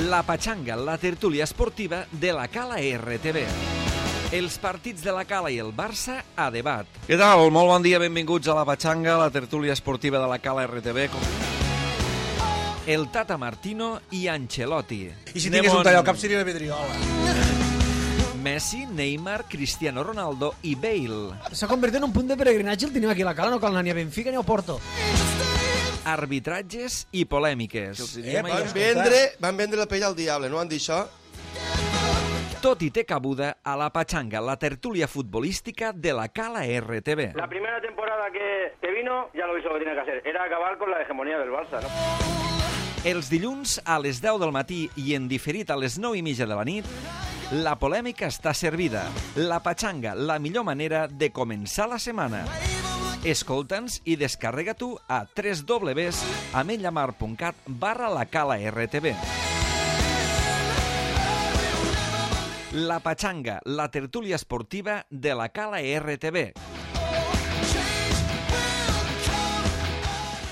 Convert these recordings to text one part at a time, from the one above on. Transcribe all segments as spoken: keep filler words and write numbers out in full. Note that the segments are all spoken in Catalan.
La Patxanga, la tertúlia esportiva de la Cala R T V. Els partits de la Cala i el Barça a debat. Què tal? Molt bon dia, benvinguts a La Patxanga, la tertúlia esportiva de la Cala R T V. El Tata Martino i Ancelotti. I si tingués un tall al cap seria la vidriola. Messi, Neymar, Cristiano Ronaldo i Bale. S'ha convertit en un punt de peregrinatge el tenim aquí a la Cala, no cal anar ni a Benfica ni a Porto. Arbitratges i polèmiques. Eh, van, vendre, van vendre la pell al diable, no van dir això? Tot i té cabuda a La Patxanga, la tertúlia futbolística de la Cala R T V. La primera temporada que, que vino, ya lo hizo lo que tenía que hacer. Era acabar con la hegemonía del Barça, ¿no? Els dilluns a les deu del matí i en diferit a les nou i mitja de la nit, la polèmica està servida. La Patxanga, la millor manera de començar la setmana. Escolta'ns i descarrega tu a w w w punt ametlla punt cat barra la Cala R T V. La Patxanga, la tertúlia esportiva de la Cala R T V.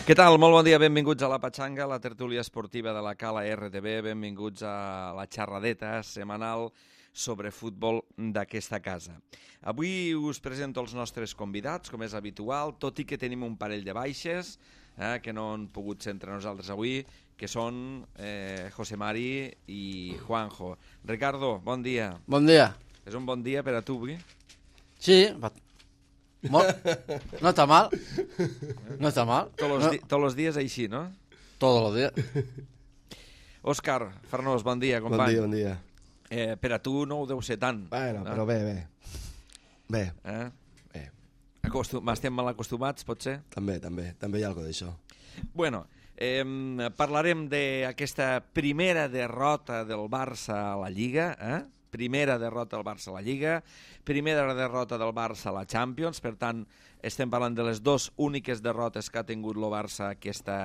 Què tal? Molt bon dia, benvinguts a La Patxanga, la tertúlia esportiva de la Cala R T V. Benvinguts a la xerradeta setmanal sobre futbol d'aquesta casa. Avui us presento els nostres convidats, com és habitual, tot i que tenim un parell de baixes eh, que no han pogut ser entre nosaltres avui, que són eh, José Mari i Juanjo. Ricardo, bon dia. Bon dia. És un bon dia per a tu avui? Sí, molt... no està mal. No està mal. Tots els, no. di tots els dies així, no? Tots els dies. Òscar Farnós, bon dia, company. Bon dia, bon dia. Eh, per a tu no ho deu ser tant. Bueno, no? però bé, bé. Bé. Eh? Bé. Acostum Estem mal acostumats, potser? També, també. També hi ha alguna d'això. Bueno, eh, parlarem d'aquesta primera derrota del Barça a la Lliga, eh? Primera derrota del Barça a la Lliga, primera derrota del Barça a la Champions, per tant, estem parlant de les dues úniques derrotes que ha tingut el Barça aquesta,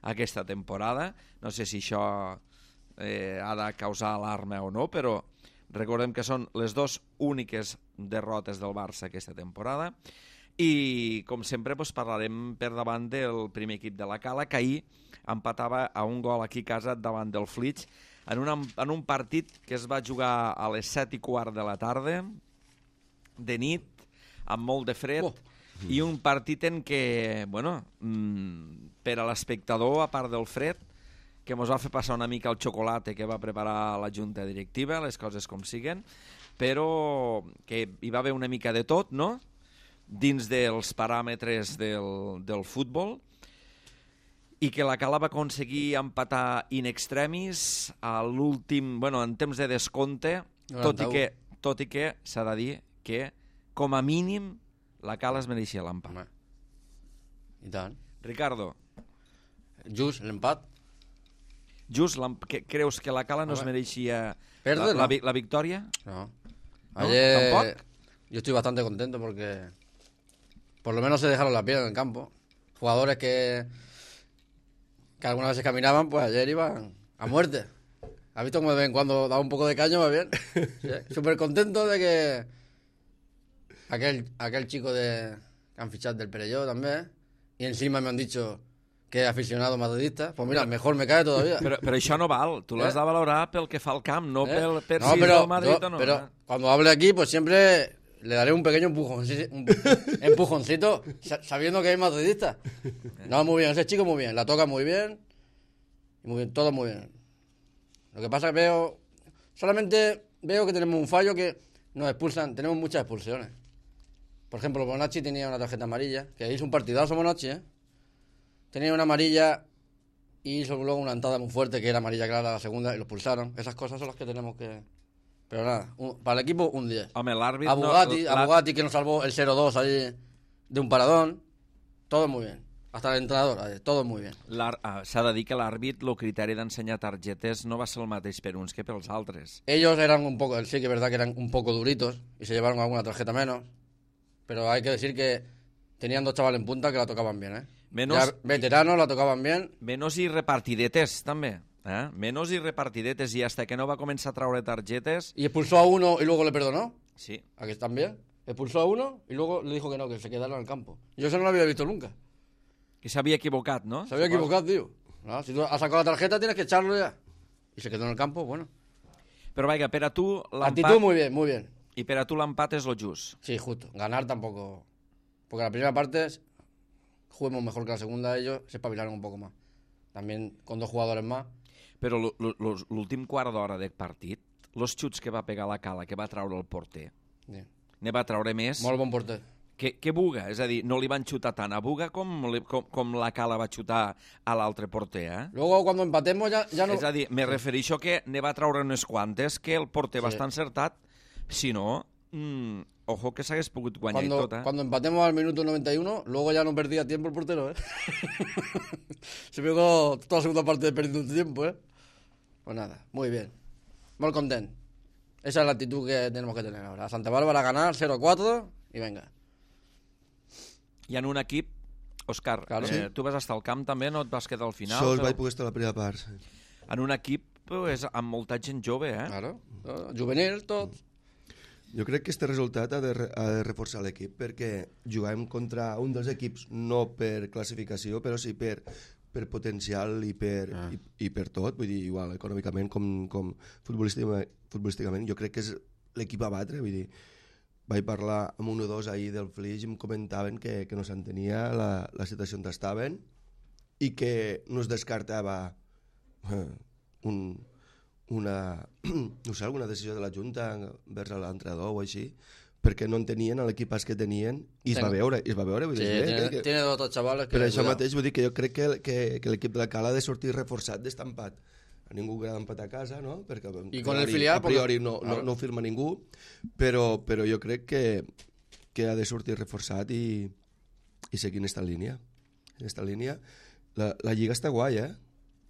aquesta temporada. No sé si això eh, ha de causar alarma o no, però recordem que són les dues úniques derrotes del Barça aquesta temporada. I, com sempre, doncs, parlarem per davant del primer equip de la Cala, que ahir empatava a un gol aquí a casa davant del Flix, en, una, en un partit que es va jugar a les set i quart de la tarda, de nit, amb molt de fred, oh. I un partit en què, bueno, mmm, per a l'espectador, a part del fred, que ens va fer passar una mica el xocolate que va preparar la junta directiva, les coses com siguen, però que hi va haver una mica de tot, no?, dins dels paràmetres del, del futbol, i que la Cala va aconseguir empatar in extremis a l'últim, bueno, en temps de descompte, tot i que, tot i que s'ha de dir que, com a mínim, la Cala es mereixia l'empat. I tant. Ricardo. Just, l'empat. Just, que, creus que la Cala no es mereixia Perde, la, no. la, la victòria? No. ¿No? Ayer, ¿Tampoco? Yo estoy bastante contento porque por lo menos se dejaron la piel en el campo. Jugadores que, que algunas veces caminaban, pues ayer iban a muerte. ¿Has visto cómo de vez en cuando da un poco de caño? Va bien. Sí. Súper contento de que aquel, aquel chico de, que han fichado del Perelló también, y encima me han dicho que es aficionado madridista, pues mira, mejor me cae todavía. Però, però això no val, tu l'has eh? de valorar pel que fa al camp, no ¿Eh? pel, per no, si pero, és del Madrid no, o no. Pero eh? cuando hable aquí, pues siempre le daré un pequeño empujoncito, un empujoncito sabiendo que es madridista. No, muy bien, ese chico muy bien, la toca muy bien, muy bien, todo muy bien. Lo que pasa es que veo, solamente veo que tenemos un fallo que nos expulsan, tenemos muchas expulsiones. Por ejemplo, Bonachi tenía una tarjeta amarilla, que hizo un partidazo Bonachi, ¿eh? Tenía una amarilla y hizo luego una entrada muy fuerte que era amarilla clara la segunda y lo expulsaron. Esas cosas son las que tenemos que... Pero nada, un, para el equipo un diez. Home, l'àrbit... A Bugatti, no, a Bugatti que nos salvó el cero dos ahí de un paradón. Todo muy bien. Hasta el entrenador, todo muy bien. Ah, s'ha de dir que l'àrbit, el criteri d'ensenyar targetes no va ser el mateix per uns que pels altres. Ellos eran un poco, sí que es verdad que eran un poco duritos y se llevaron alguna tarjeta menos. Pero hay que decir que tenían dos chavales en punta que la tocaban bien, ¿eh? Menos, ya veteranos la tocaban bien. Menos i repartidetes, també. ¿eh? Menos i repartidetes. I hasta que no va començar a traure targetes... Y expulsó a uno y luego le perdonó. Sí. ¿A que están bien? Expulsó a uno y luego le dijo que no, que se quedaron en el campo. Yo eso no lo había visto nunca. Que s'havia equivocat, no? Se había equivocado, tío. No, si tú has sacado la tarjeta tienes que echarlo ya. Y y se quedó en el campo, bueno. Però, vaja, per a tu Actitud l'empat... muy bien, muy bien. I per a tu l'empat és lo just. Sí, justo. Ganar tampoco. Porque la primera parte juguemos mejor que la segunda, ellos se espabilaron un poco más. También con dos jugadores más. Però l- l- l- l'últim quart d'hora de partit, los xuts que va pegar la Cala, que va traure el porter, Sí. ne va traure més Molt bon porter. que, que Buga. És a dir, no li van xutar tant a Buga com, li, com, com la Cala va xutar a l'altre porter, eh? Luego cuando empatemos ya, ya no... És a dir, me refereixo que ne va traure unes quantes que el porter Sí. va estar encertat. Si no, mm, ojo que s'hagués pogut guanyar Cuando, i tot, eh? cuando empatemos al minuto noventa y uno, luego ya no perdía tiempo el portero, ¿eh? Se pegó toda la segunda parte perdiendo tiempo, ¿eh? Pues nada, muy bien. Muy contento. Esa es la actitud que tenemos que tener ahora. A Santa Bárbara ganar cero cuatro y venga. I en un equip, Òscar, Claro. eh, tu vas estar al camp també, no et vas quedar al final? Sols però vaig poder estar a la primera part. Sí. En un equip pues, amb molta gent jove, eh? Claro. Eh, Juvenil, tot. Jo crec que este resultat ha de, re- ha de reforçar l'equip perquè juguem contra un dels equips no per classificació però sí per, per potencial i per, ah. i, i per tot, vull dir, igual econòmicament com, com futbolísticament, futbolísticament jo crec que és l'equip a batre, vull dir, vaig parlar amb un o dos ahir del Flix i em comentaven que, que no s'entenia la, la situació on estaven i que no es descartava eh, un, una, no sé, alguna decisió de la Junta vers l'entrenador o així, perquè no entenien l'equip que tenien i es va veure, i es va veure, vull Sí, dir, tiene, que, tiene dos otros chavales que... per això cuidado. mateix vull dir que jo crec que, que, que l'equip de la Cala ha de sortir reforçat d'est empat. A ningú agrada empatar a casa, no? Perquè I con a el priori- filial, a priori porque- no, no, claro. no ho firma ningú, però, però jo crec que, que ha de sortir reforçat i, i seguir en esta línia. En esta línia. La, la Lliga està guai, eh?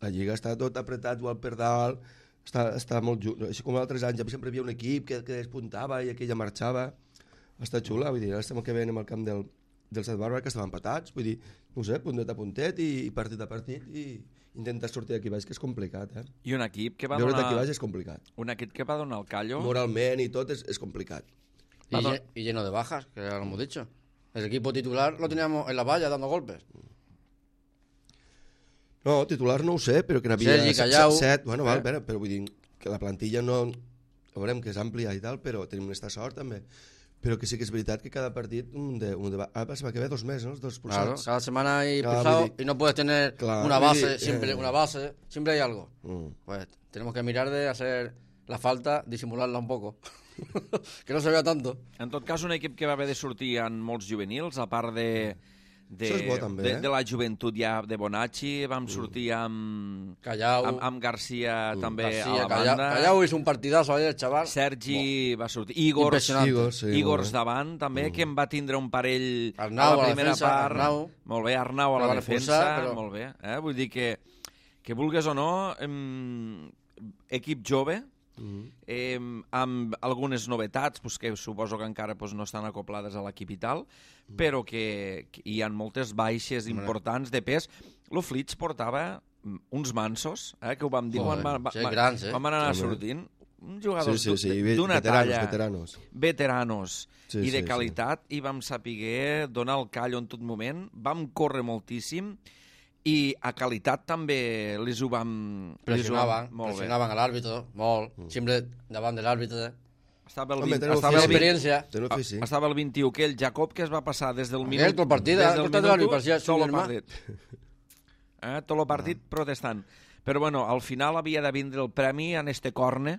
La Lliga està tot apretat, igual per dalt, està, està molt just. Així com altres anys, sempre hi havia un equip que, que despuntava i aquella marxava. Està xula, vull dir, ara estem que veiem al camp del, del Sant Bàrbara, que estaven empatats, vull dir, no sé, puntet a puntet i, i partit a partit i intentar sortir d'aquí baix, que és complicat, eh? I un equip que va Veure donar... d'aquí baix és complicat. Un equip que va donar el callo... Moralment i tot és, és complicat. Y, lle- y lleno de bajas, que ya lo hemos dicho. El equipo titular lo teníamos en la valla dando golpes. No, titular no ho sé, però que n'havia Sergi, set- Callau. set, bueno, val, Eh? però, però vull dir que la plantilla no... Veurem que és àmplia i tal, però tenim aquesta sort també. Però que sí que és veritat que cada partit un de, un de, ah, va que ve dos més, no? Els dos Claro, expulsats. cada semana hay Claro, expulsado vull dir- y no puedes tener Claro, una vull base, dir, siempre eh. una base, siempre hay algo. Mm. Pues tenemos que mirar de hacer la falta, disimularla un poco. Que no se vea tanto. En tot cas, un equip que va haver de sortir en molts juvenils, a part de, de, Això és bo, també, de, eh? de la joventut ja de Bonacci, vam sortir amb, Callau, amb, amb Garcia també García, a la Callau, banda. Callau hizo un partidazo ayer, chaval. Sergi va sortir. Igors, Impressionant. Igors, sí, Igors molt bé. davant, també, que en va tindre un parell Arnau a la a la primera defensa, part. Arnau. Molt bé, Arnau a Que la van defensa, expulsar, però- molt bé. Eh? Vull dir que, que vulgues o no, em, equip jove, eh, amb algunes novetats pues, que suposo que encara pues, no estan acoplades a l'equip i tal, però que, que hi ha moltes baixes importants de pes. Lo Flix portava mm, uns mansos, eh, que ho vam dir Joder, quan, va, sí, va, grans, eh? quan van anar Home. sortint. Un Sí, jugador sí, sí, d'una veteranos, talla, veteranos. veteranos Sí, i de sí, qualitat, i vam saber donar el callo en tot moment, vam córrer moltíssim, i a qualitat també les ho vam... les ho vam- Presionaban, molt bé. presionaban al árbitro, molt, siempre daban del árbitro. Estava el, Home, vint, teniu estava el, vint, Experiencia. Teniu fi, sí. estava el vint-i-u, que el Jacob, que es va passar des del Aquell, minut... tot el partit, des eh? del Tot el minut u, parecía su tot el germà. partit. Eh, tot el partit protestant. Però bueno, al final havia de vindre el premi en este corne,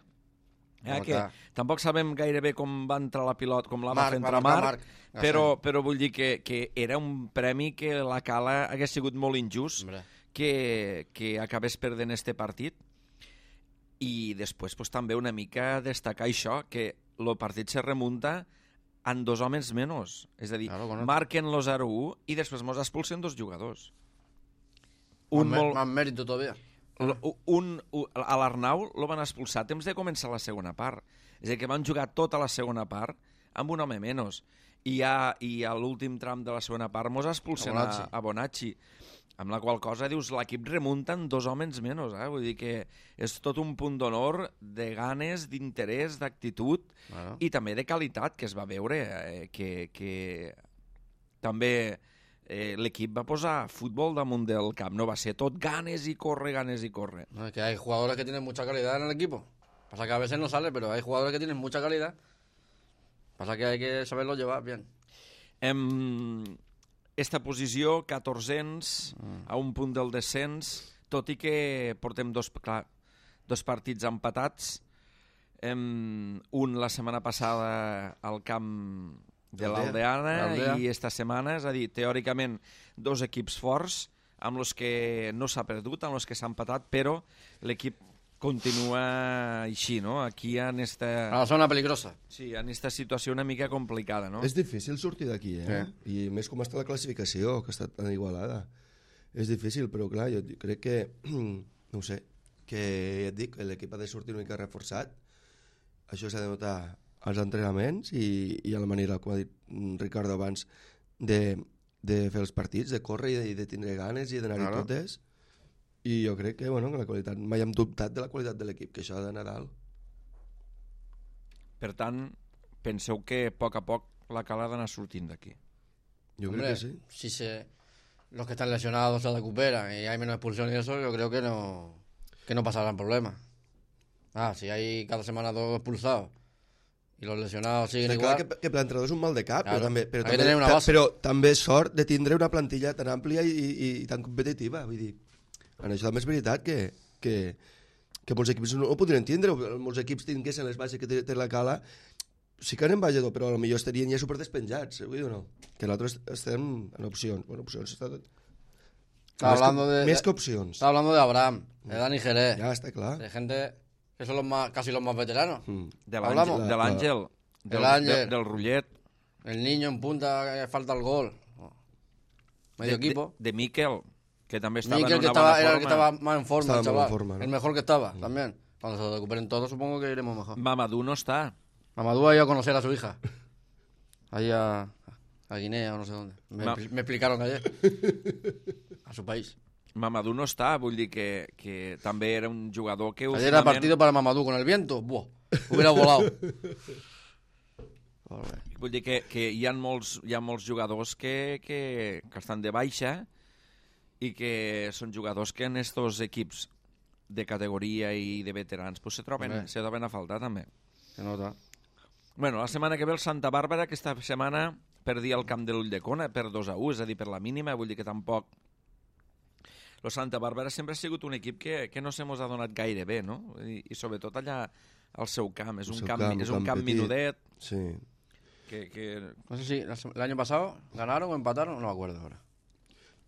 eh, Home, que clar. tampoc sabem gairebé com va entrar la pilot, com la va Marc, fer va entrar marcar Marc, Marc. però, però vull dir que, que era un premi que la Cala hagués sigut molt injust Hombre. que, que acabés perdent este partit. I després pues, també una mica destacar això, que el partit se remunta en dos homes menys. És a dir, Claro, bueno. marquen lo zero u i després mos expulsen dos jugadors. Más, Un mé- molt, más mérito todavía. L- un, un, a l'Arnau lo van expulsar temps de començar la segona part. És a dir, que van jugar tota la segona part amb un home menys. I, a, i a l'últim tram de la segona part mos expulsen A a, Bonacci. a Bonacci. Amb la qual cosa, dius, l'equip remunta en dos homes menys. Eh? Vull dir que és tot un punt d'honor, de ganes, d'interès, d'actitud Bueno. i també de qualitat, que es va veure eh, que, que també eh, l'equip va posar futbol damunt del camp, no va ser tot ganes y corre, ganes y corre. No, es que hay jugadores que tienen mucha calidad en el equipo. Pasa que a veces no sale, pero hay jugadores que tienen mucha calidad. Pasa que hay que saberlo llevar bien. Em, esta posició, catorzens, mm. a un punt del descens, tot i que portem dos, clar, dos partits empatats, em, un la setmana passada al camp de l'Aldeana i esta setmana, és a dir, teòricament dos equips forts amb els que no s'ha perdut, amb els que s'ha empatat, però l'equip continua així, no? Aquí en esta... A la zona peligrosa. Sí, en esta situació una mica complicada, no? És difícil sortir d'aquí, eh? Sí. I més com està la classificació, que està tan igualada. És difícil, però clar, jo crec que, no ho sé, que ja et dic, l'equip ha de sortir una mica reforçat. Això s'ha de notar als entrenaments i, i a la manera, com ha dit Ricardo abans, de, de fer els partits, de córrer i de, de tindre ganes i d'anar-hi claro. totes. I jo crec que, bueno, que la qualitat, mai hem dubtat de la qualitat de l'equip, que això ha d'anar dalt. Per tant, penseu que a poc a poc la Cala ha d'anar sortint d'aquí. Yo Hombre, creo que sí. Si se, los que están lesionados se recuperan y hay menos expulsión y eso, yo creo que no, que no pasarán problemas. Ah, si hay cada semana dos expulsados i los lesionados siguen Està igual... Clar que, que per l'entrenador és un mal de cap, claro. però, també, però, Hay que també, tener una ta, base. però també és sort de tindre una plantilla tan àmplia i, i, i tan competitiva. Vull dir, en això també és veritat que, que, que molts equips no ho podrien tindre, molts equips tinguessin les bases que té, té la Cala, sí que anem bajador, però potser estarien ja superdespenjats, vull dir o no? Que nosaltres estem en opcions. Bueno, opcions està tot... Está Més, hablando que, de, més que opcions. Está hablando de Abraham, de Dani Jerez, Ja està clar. de gente que son los más, casi los más veteranos. Mm. De Hablamos. l'Àngel, de l'Àngel, del, El Ángel. de, del Rullet, El niño en punta, que falta el gol. Medio de, equipo. de, de Miquel, que també estava Miquel, en que una estaba, bona era forma. el que estaba más en forma, Estaba el más en chaval. forma, ¿no? El mejor que estaba, también. Cuando se recuperen todos, supongo que iremos mejor. Mamadou no està. Mamadou ha ido a conocer a su hija. Ahí a, a Guinea o no sé dónde. Me, Ma- me explicaron ayer. A su país. Mamadou no està, vull dir que, que també era un jugador que Ayer era partido para Mamadou con el viento. Buah, hubiera volado. Vull dir que, que hi, ha molts, hi ha molts jugadors que, que, que estan de baixa i que són jugadors que en estos equips de categoria i de veterans pues, se, troben, Hombre. se troben a faltar també. Se nota. Bueno, la setmana que ve el Santa Bàrbara, aquesta setmana perdia el camp de l'Ulldecona per dos a u, és a dir, per la mínima, vull dir que tampoc... El Santa Bàrbara sempre ha sigut un equip que, que no se mos ha donat gaire bé, no? I, i sobretot allà al seu camp. És El un seu camp, camp, és un un camp camp petit. minudet, Sí. que... que... No sé si la sem- el año pasado ganaron o empataron, no me acuerdo ahora.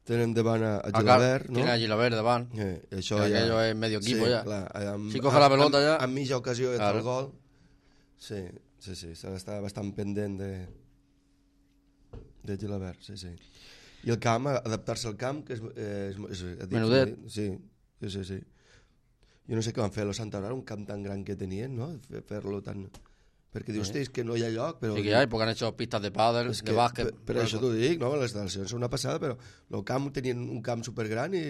Tenen davant a, a Acá Gilabert, no? Tiene a Gilabert de van. Eh, això Que ja... aquello es medio equipo sí, ya. Clar, amb, Si coge la pelota amb, ja- Amb mitja ocasió de Claro. el gol. Sí, sí, sí, s'ha d'estar bastant pendent de, de Gilabert, sí, sí. I el camp, adaptar-se al camp, que és... Eh, és, és, és Menudet. Sí, sí, sí, sí. Jo no sé què van fer a la Santa Bàrbara, un camp tan gran que tenien, no? Fer- Fer-lo tan... Perquè dius, hosti, és que no hi ha lloc, però... Sí que hay, porque han hecho pistas de pádel, És de que, básquet. per, per això t'ho dic, no? Les instal·lacions són una passada, però el camp tenien un camp supergran i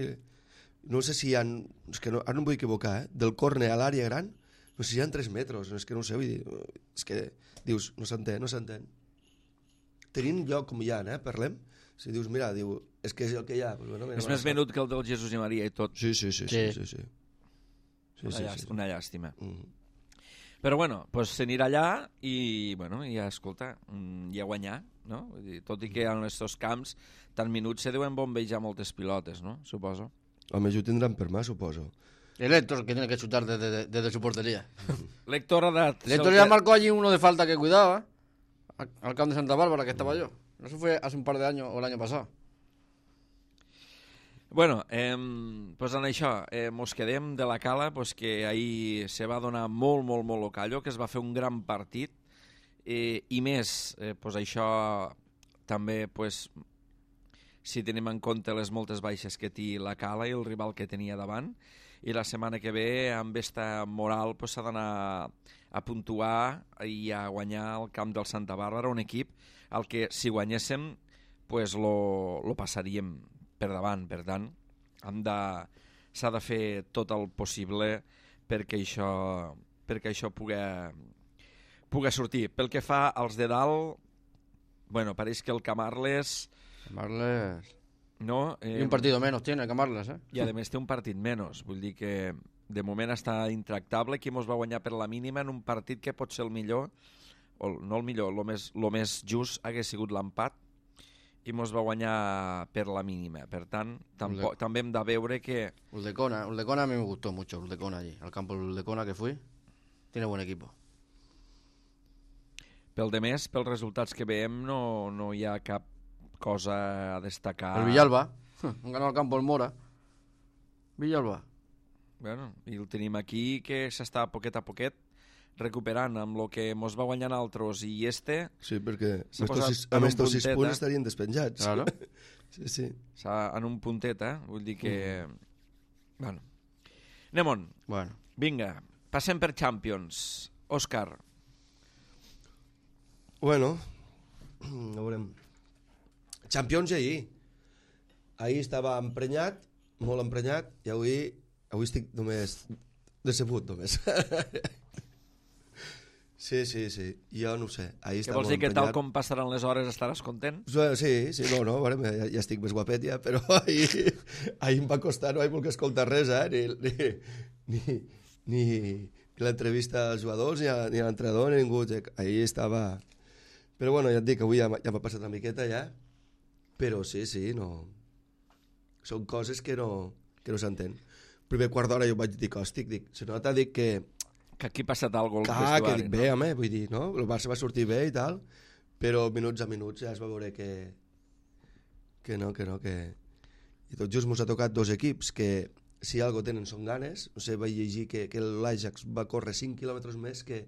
no sé si hi ha... És que no, ara no em vull equivocar, eh? Del córner a l'àrea gran, no sé si hi ha tres metres, no, és que no ho sé, vull dir... És que dius, no s'entén, no s'entén. Tenint lloc com hi ha, eh? Parlem. Si dius, mira, diu, és que és el que hi ha. Pues, bueno, mira, És bona més sort. menut que el del Jesús i Maria i tot. Sí, sí, sí, sí, sí, Sí. sí. Sí, Una, sí, llàstima, sí. una llàstima. Mm. Però bueno, pues s'anirà allà i, bueno, ja, escolta, mm, i a guanyar, no? Vull dir, tot i que en aquests camps tan minuts se deuen bombejar moltes pilotes, no? Suposo. Home, jo ho tindran per mà, suposo. El Héctor, que tiene que chutar desde, desde, desde su portería. L'Héctor ha dat... El Héctor ya marcó allí uno de falta que cuidaba, al, al campo de Santa Bárbara, que estaba yo. Eso fue hace un par de años o el año pasado. Bueno, eh, pues en això, eh, mos quedem de la Cala, pues que ahir se va donar molt, molt, molt locallo, que es va fer un gran partit, eh, i més, eh, pues això també, pues, si tenim en compte les moltes baixes que té la Cala i el rival que tenia davant, i la setmana que ve, amb esta moral, pues, s'ha d'anar a puntuar i a guanyar el camp del Santa Bàrbara, un equip al que, si guanyéssim, pues, lo, lo passaríem per davant, per tant, hem de, s'ha de fer tot el possible perquè això, perquè això pugui, pugui sortir. Pel que fa als de dalt, bueno, pareix que el Camarles Marles... No, eh, Y un partido menos tiene que Marles, eh? I a més té un partit menys. Vull dir que de moment està intractable. Qui mos va guanyar per la mínima en un partit que pot ser el millor, o no el millor, el més, lo més just hagués sigut l'empat, i mos va guanyar per la mínima. Per tant, tampoc, també hem de veure que... Uldecona, Uldecona a mí me gustó mucho, Uldecona allí. Al campo de Uldecona que fui, tiene buen equipo. Pel de més, pels resultats que veiem, no, no hi ha cap cosa a destacar. El Villalba, han ganado al campo el Mora. Villalba. Bueno, i el tenim aquí, que s'està poquet a poquet recuperant amb el que mos va guanyant altres, i este... Sí, perquè S'ha amb posat estos sis- en amb un estos sis puntet, punts eh? estarien despenjats. Claro. Sí, sí. s'ha en un puntet, eh? Vull dir que... Bueno. Anem-on. Bueno. Vinga, passem per Champions. Òscar. Bueno, a veurem. Champions i ahir. Ahir estava emprenyat, molt emprenyat, i avui, avui estic només decebut, només. Sí, sí, sí. Jo no ho sé. Ahir Què estava vols molt dir que tal emprenyat. com passaran les hores estaràs content? Sí, sí, no, no, bueno, ja, ja estic més guapet ja, però ahir, ahir em va costar, no vaig voler escoltar res, eh? Ni, ni, ni, ni l'entrevista als jugadors, ni, a, ni a l'entrenador, ni ningú. Ahir estava... Però bueno, ja et dic, avui ja, m'ha- ja m'ha passat una miqueta ja, però sí, sí, no... Són coses que no, que no s'entén. Primer quart d'hora jo vaig dir, hòstic, dic, se nota, dic que... Que aquí ha passat alguna cosa al Clar, que vestuari, dic, no? bé, home, vull dir, no? El Barça va sortir bé i tal, però minuts a minuts ja es va veure que... Que no, que no, que... I tot just mos ha tocat dos equips que, si algo tenen, són ganes. No sé, vaig llegir que, que l'Ajax va córrer cinc quilòmetres més que...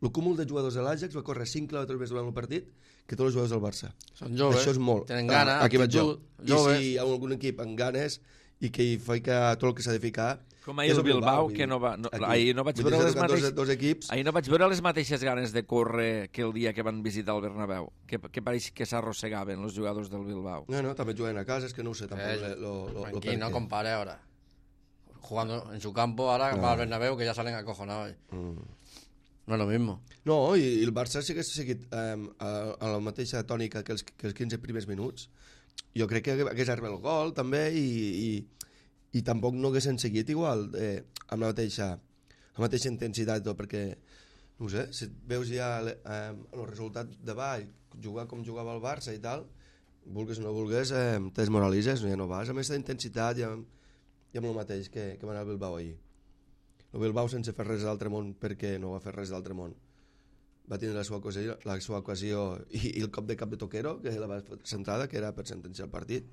El cúmul de jugadors de l'Ajax va córrer cinc quilòmetres més durant el partit que tots els jugadors del Barça. Són joves, Això és molt. tenen gana, Aquí vaig jo. actitud, I joves. si hi ha algun equip amb ganes i que hi fica tot el que s'ha de ficar... Com ahir el Bilbao, que no va... No, ahir no vaig Vull dir, veure s'ha les tocat mateixes... dos, dos equips... Ahir no vaig veure les mateixes ganes de córrer que el dia que van visitar el Bernabéu, que, que pareix que s'arrossegaven els jugadors del Bilbao. No, no, també juguen a casa, és que no ho sé tampoc. Eh, lo, lo, lo Tranquilo, no per què. compare ahora. Jugando en su campo, ahora va al Bernabéu, que ya salen acojonados. No es lo mismo. No, i, i el Barça sí que s'ha seguit um, a, a la mateixa tònica que els, que els quinze primers minuts. Jo crec que hagués arribat el gol també i, i, i tampoc no haguessin seguit igual eh, amb la mateixa, la mateixa intensitat i tot, perquè no ho sé, si veus ja eh, el resultat de ball, jugar com jugava el Barça i tal, vulgues o no vulgues, eh, te desmoralitzes, ja no vas amb aquesta intensitat i amb, i amb el mateix que, que va anar al Bilbao ahir. El Bilbao sense fer res d'altre món, perquè no va fer res d'altre món. Va tenir la seva ocasió, la seva ocasió i, i el cop de cap de Toquero, que la va centrada, que era per sentenciar el partit.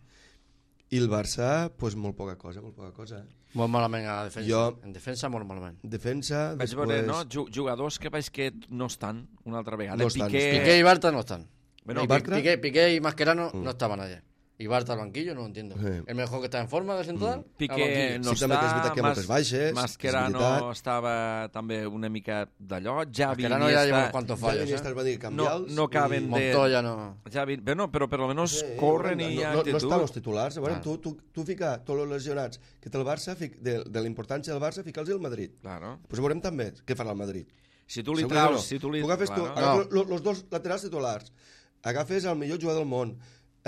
I el Barça, pues, molt poca cosa, molt poca cosa. Eh? Molt malament a la defensa. Jo- En defensa, molt malament. Defensa, Vaig després... veure, no? Ju- Jugadors que veig que no estan una altra vegada. No estan. Piqué... Piqué y Bartra no están. Bueno, Y Bartra- Piqué, Piqué y Mascherano no estaban ayer. Y Bartra al banquillo, no lo entiendo. Sí. El mejor que está en forma de central, al Piqué banquillo. no Sí, també que és veritat està, que hi ha moltes baixes, Mascherano és veritat. estava també una mica d'allò, Xavi Mascherano ya lleva unos Iniesta, cuantos Ja fallos. Iniesta ¿eh? es va dir no, canviar-los. no caben i- de... Montoya no. Xavi, bueno, però per almenys Sí, corren no, i hi ha no, no, actitud. no estan els titulars. A veure, Ah. tu, tu, tu fica tots els lesionats que té el Barça, fic, de, de la importància del Barça, fica'ls al Madrid. Claro. Pues veurem també què farà el Madrid. Si tu li Segur que no. traus... Si tu li... Tu agafes tu, claro. agafes lo- los dos laterals titulars, agafes el millor jugador del món,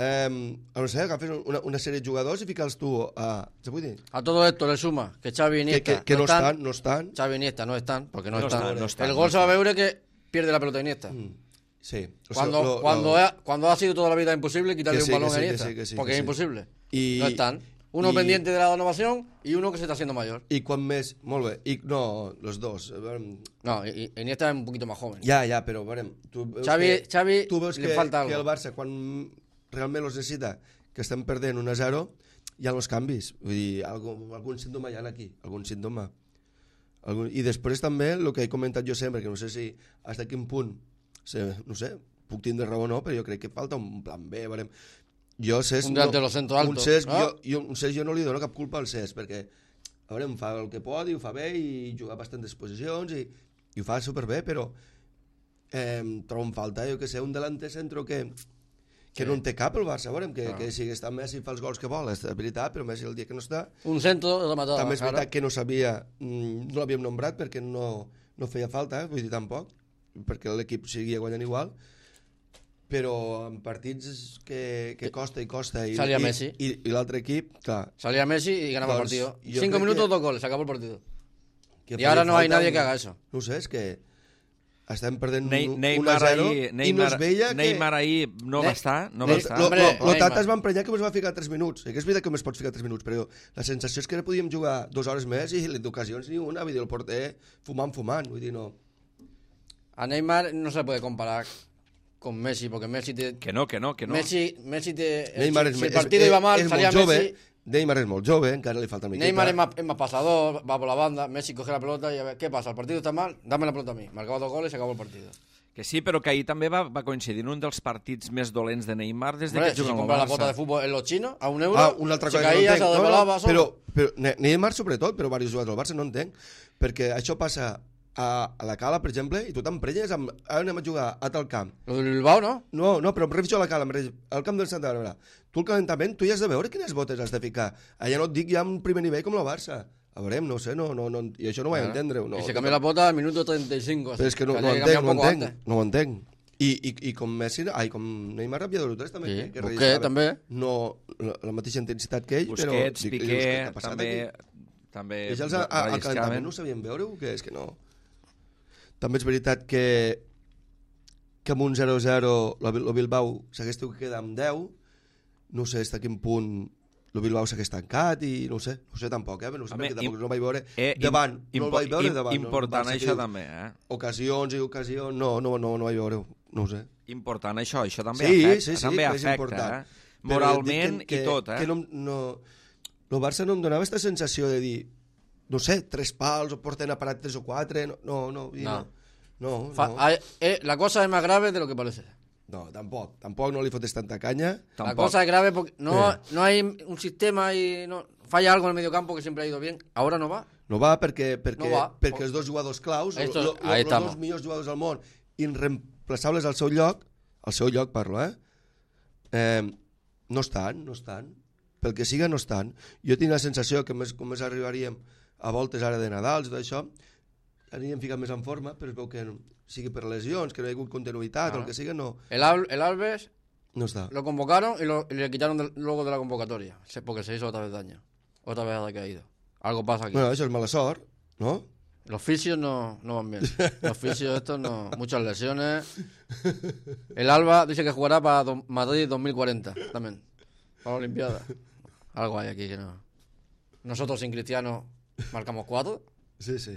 eh, no sé, agafes una, una sèrie de jugadors i fica'ls tu a... Se vull dir? A todo esto le suma que Xavi y Que, Iniesta que, que no están. estan, no estan. Xavi y Iniesta no están, porque no, No están. están, no están, El no gol se va a están. ver que pierde la pelota Iniesta. Mm, sí. O sea, Cuando, lo- cuando, lo- ha, cuando ha sido toda la vida imposible quitarle Que sí, un balón que sí, a que Iniesta. sí, que sí, porque que es sí. imposible. I- no están. Uno i- pendiente de la renovación y uno que se está haciendo mayor. I quan més... Molt bé. I, no, los dos. A veure, No, y, y Iniesta es un poquito más joven. ja, ja, però veurem. Tu veus Xavi, que, Xavi tu veus le que, falta que algo. el Barça, quan realment els necessita, que estem perdent un a zero, hi ha els canvis. Vull dir, algun, algun símptoma hi ha aquí, algun símptoma. Algun... I després també, el que he comentat jo sempre, que no sé si fins a quin punt, sé, no sé, puc tindre raó o no, però jo crec que falta un plan B, veurem. Jo, Cesc, Un delantero centro alto, un Cesc, no? jo, jo, un Cesc jo no li dono cap culpa al Cesc, perquè a veure, em fa el que pot i ho fa bé i juga a bastantes posicions i, i ho fa superbé, però eh, trobo en falta, jo que sé, un delanter centro que, que Sí. no en té cap el Barça, veurem, que, Ah. que si està Messi fa els gols que vol, és veritat, però Messi el dia que no està, Un centro rematado. també és claro. veritat que no sabia, mm, no l'havíem nombrat perquè no, no feia falta, eh, vull dir tampoc, perquè l'equip seguia guanyant igual, però en partits que, que costa i costa i, Salía i, Messi. i, i l'altre equip, clar, Salía Messi y ganaba el Doncs, partido. yo Cinco creo minutos, que- dos goles, se acabó el partido. que Y ahora faria no hay falta nadie un- que haga eso. No ho sé, és que estem perdent Ne un, un a Neymar zero ahir, i no Neymar, es veia que... Neymar ahir no va Ne- estar, no Ne- va estar. Lo, Hombre, lo, lo Neymar. Tata es va emprenyar que ens va ficar tres minuts. I que és veritat que només pots ficar tres minuts, però la sensació és que podíem jugar dues hores més i d'ocasions ni una, vull dir, el porter fumant, fumant, vull dir, no. A Neymar no se le puede comparar con Messi, porque Messi te... Que no, que no, que no. Messi, Messi te... Neymar si, és, si el és- partido és, iba mal, és salía molt jove, Messi. Neymar és molt jove, encara li falta una miqueta. Neymar es más, es más pasador, va por la banda, Messi coge la pelota y a ver, ¿qué pasa? ¿El partido está mal? Dame la pelota a mí. Marcaba dos goles y se acabó el partido. Que sí, però que ahir també va, va coincidir en un dels partits més dolents de Neymar des de Hombre, que si juga se al compra la Barça. bota de fútbol en los chinos a un euro, Ah, una altra se cosa que caía, no se entenc. desvelaba no, però, solo. però Ne- Neymar sobretot, però diversos jugadors del Barça no entenc, perquè això passa a, a la Cala, per exemple, i tu t'emprenyes amb... Ara anem a jugar a tal camp. Lo del Bilbao, ¿no? No, no, però em refereixo a la Cala, em refereixo al camp del Santa Bàrbara. Tu el calentament, tu ja has de veure quines botes has de ficar. Allà no et dic ja un primer nivell com el Barça. A veure, no sé, no, no, no, i això no ho vaig entendre. No, y se cambió la bota al minuto treinta y cinco. Però és que no, no, había que entenc, cambiar no un poco entenc, antes. no ho entenc. I, i, i com Messi, ai, com Neymar havia de tres també. Sí, que, que Busquets registrava també. No, la, la mateixa intensitat que ell, però... Busquets, dic, Piqué, dius, què ha passat també... aquí? també I ells al, al calentament relliscaven. no ho sabien veure o què? És que no... També és veritat que que amb un zero a zero el Bilbao s'hagués tingut que quedar amb deu, no sé fins a quin punt el Bilbao s'hagués tancat i no ho sé, no ho sé tampoc, eh? No ho sé, Home, perquè tampoc im- no ho vaig veure Eh, im- davant, no el impo- vaig veure im- davant. Important no, el Barça això que també, eh? Ocasions i ocasions, no, no, no, no vaig veure, no ho sé. Important això, això també Sí, afecta, sí, sí, també que és afecta, important. eh? Però Moralment dic que, i tot, eh? Que no, no, el Barça no em donava aquesta sensació de dir, no sé, tres pals o porten a parat tres o quatre, no, no, no. i No. No, no, Fa- no, hay- eh, la cosa es más grave de lo que parece. no, tampoc, tampoc no li fotes tanta canya. La Tampoc. cosa es grave porque no, Eh. no hay un sistema y no falla algo en el mediocampo que siempre ha ido bien. Ahora no va. No va perquè, perquè, No va. perquè els dos jugadors claus, Estos- lo, lo, ahí los estamos. dos millors jugadors del món, irreemplaçables al seu lloc, al seu lloc parlo, eh? eh no estan, no estan. Pel que siga, no estan. Jo tinc la sensació que més, com més arribaríem a voltes ara de Nadal i tot això, aniríem ficat més en forma, però es veu que no, sigui per lesions, que no hi ha hagut continuïtat, Ah. o el que siga, no, El, Al- el Alves no està. lo convocaron y, lo- y le quitaron del- luego de la convocatoria. Se- Porque se hizo otra vez daño. Otra vez ha caído. Algo pasa aquí. Bueno, això és mala sort, no? Los fisios no, no van bien. Los fisios estos no. Muchas lesiones. El Alba dice que jugará para do- Madrid dos mil cuarenta también. Para la Olimpiada. Algo hay aquí que no. Nosotros sin Cristiano marcamos cuatro. Sí, sí.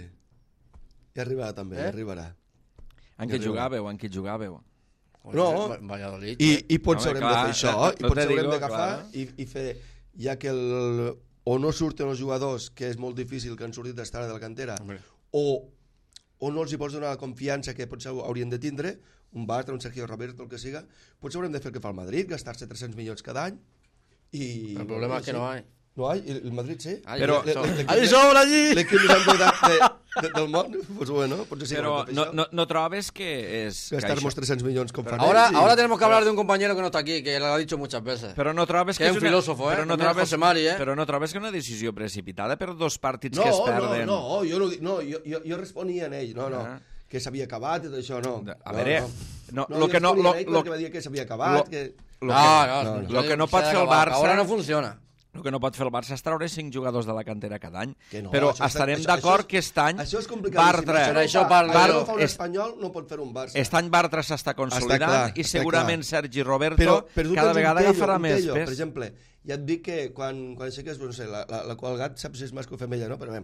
I arribarà també, Eh? eh? arribarà. En què jugàveu, en què jugàveu? No. Va- Valladolid. I, i potser Home, haurem clar, de fer això, no- i no potser te haurem digo, d'agafar clar. i, i fer, ja que el, o no surten els jugadors, que és molt difícil que han sortit d'estar de la cantera, Hombre. o, o no els hi pots donar la confiança que potser haurien de tindre, un Bartra, un Sergio Roberto, el que siga, potser haurem de fer el que fa el Madrid, gastar-se tres-cents milions cada any, i... El problema es que no hay. No hay, el, el Madrid sí. Hay, Però- so- l'equip hay de- sobra allí. L'equip més endeutat de, de, del món, pues bueno, potser sí. Però haurem de fer no, això. no, no trobes que és... que Gastar-nos això- tres-cents milions com fan Ahora, ells i- ahora tenemos que hablar de un compañero que no está aquí, que lo ha dicho muchas veces. Però no trobes Que que, és un una- filòsofo, eh? Però no També trobes, José Mari, eh? Però no trobes que una decisió precipitada per dos partits No, que es no, perden... no, jo no, dic- no, jo, jo, jo responia en ell, no, no, Ah. que s'havia acabat i tot això, no. A no, veure, no, no, no lo que no- jo responia lo- en ell lo- perquè va dir que s'havia acabat, lo- que... Lo no, que, no, no, no, lo que no se pot ha fer el acabado. Barça- Ahora no funciona. el que no pot fer el Barça és treure cinc jugadors de la cantera cada any. Que no, Però això està- estarem això- d'acord això és- que aquest any Això és complicadíssim. Bartra, Però això no parla- fa, això no Bar- fa un és- espanyol, no pot fer un Barça. Aquest any Bartra s'està consolidant clar, i està segurament clar. Sergi Roberto però, però tu cada tens un vegada tello, agafarà un més tello. pes. Per exemple, ja et dic que quan, quan aixeques, no sé, la, la, la qual gat saps si és mascle o femella, no? Però bé,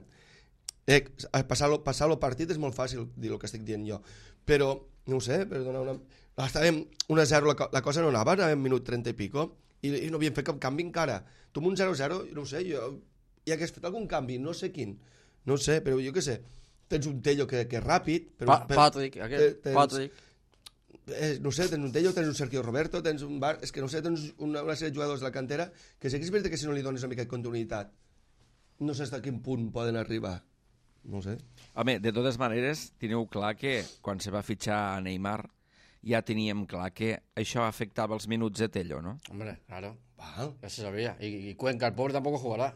eh, passar-lo passar el partit és molt fàcil dir el que estic dient jo. Però, no ho sé, per donar una... Estàvem un a zero, la, co- la cosa no anava, anàvem minut trenta i pico, i, i no havíem fet cap canvi encara. Tu amb un zero a zero, no ho sé, jo ja hagués fet algun canvi, no sé quin, no sé, però jo què sé, tens un tello que, que és ràpid, però, Pa- però Patrick, aquel, tens- Patrick. eh, no sé, tens un tello, tens un Sergio Roberto, tens un bar, és que no sé, tens una, una sèrie de jugadors de la cantera que sé que és veritat que si no li dones una mica de continuïtat no sé fins a quin punt poden arribar, no sé. Home, de totes maneres, teniu clar que quan se va fitxar a Neymar ja teníem clar que això afectava els minuts de Tello, no? Hombre, claro. Val. Ya se sabía. Y, y Cuenca, el pobre, tampoco jugará.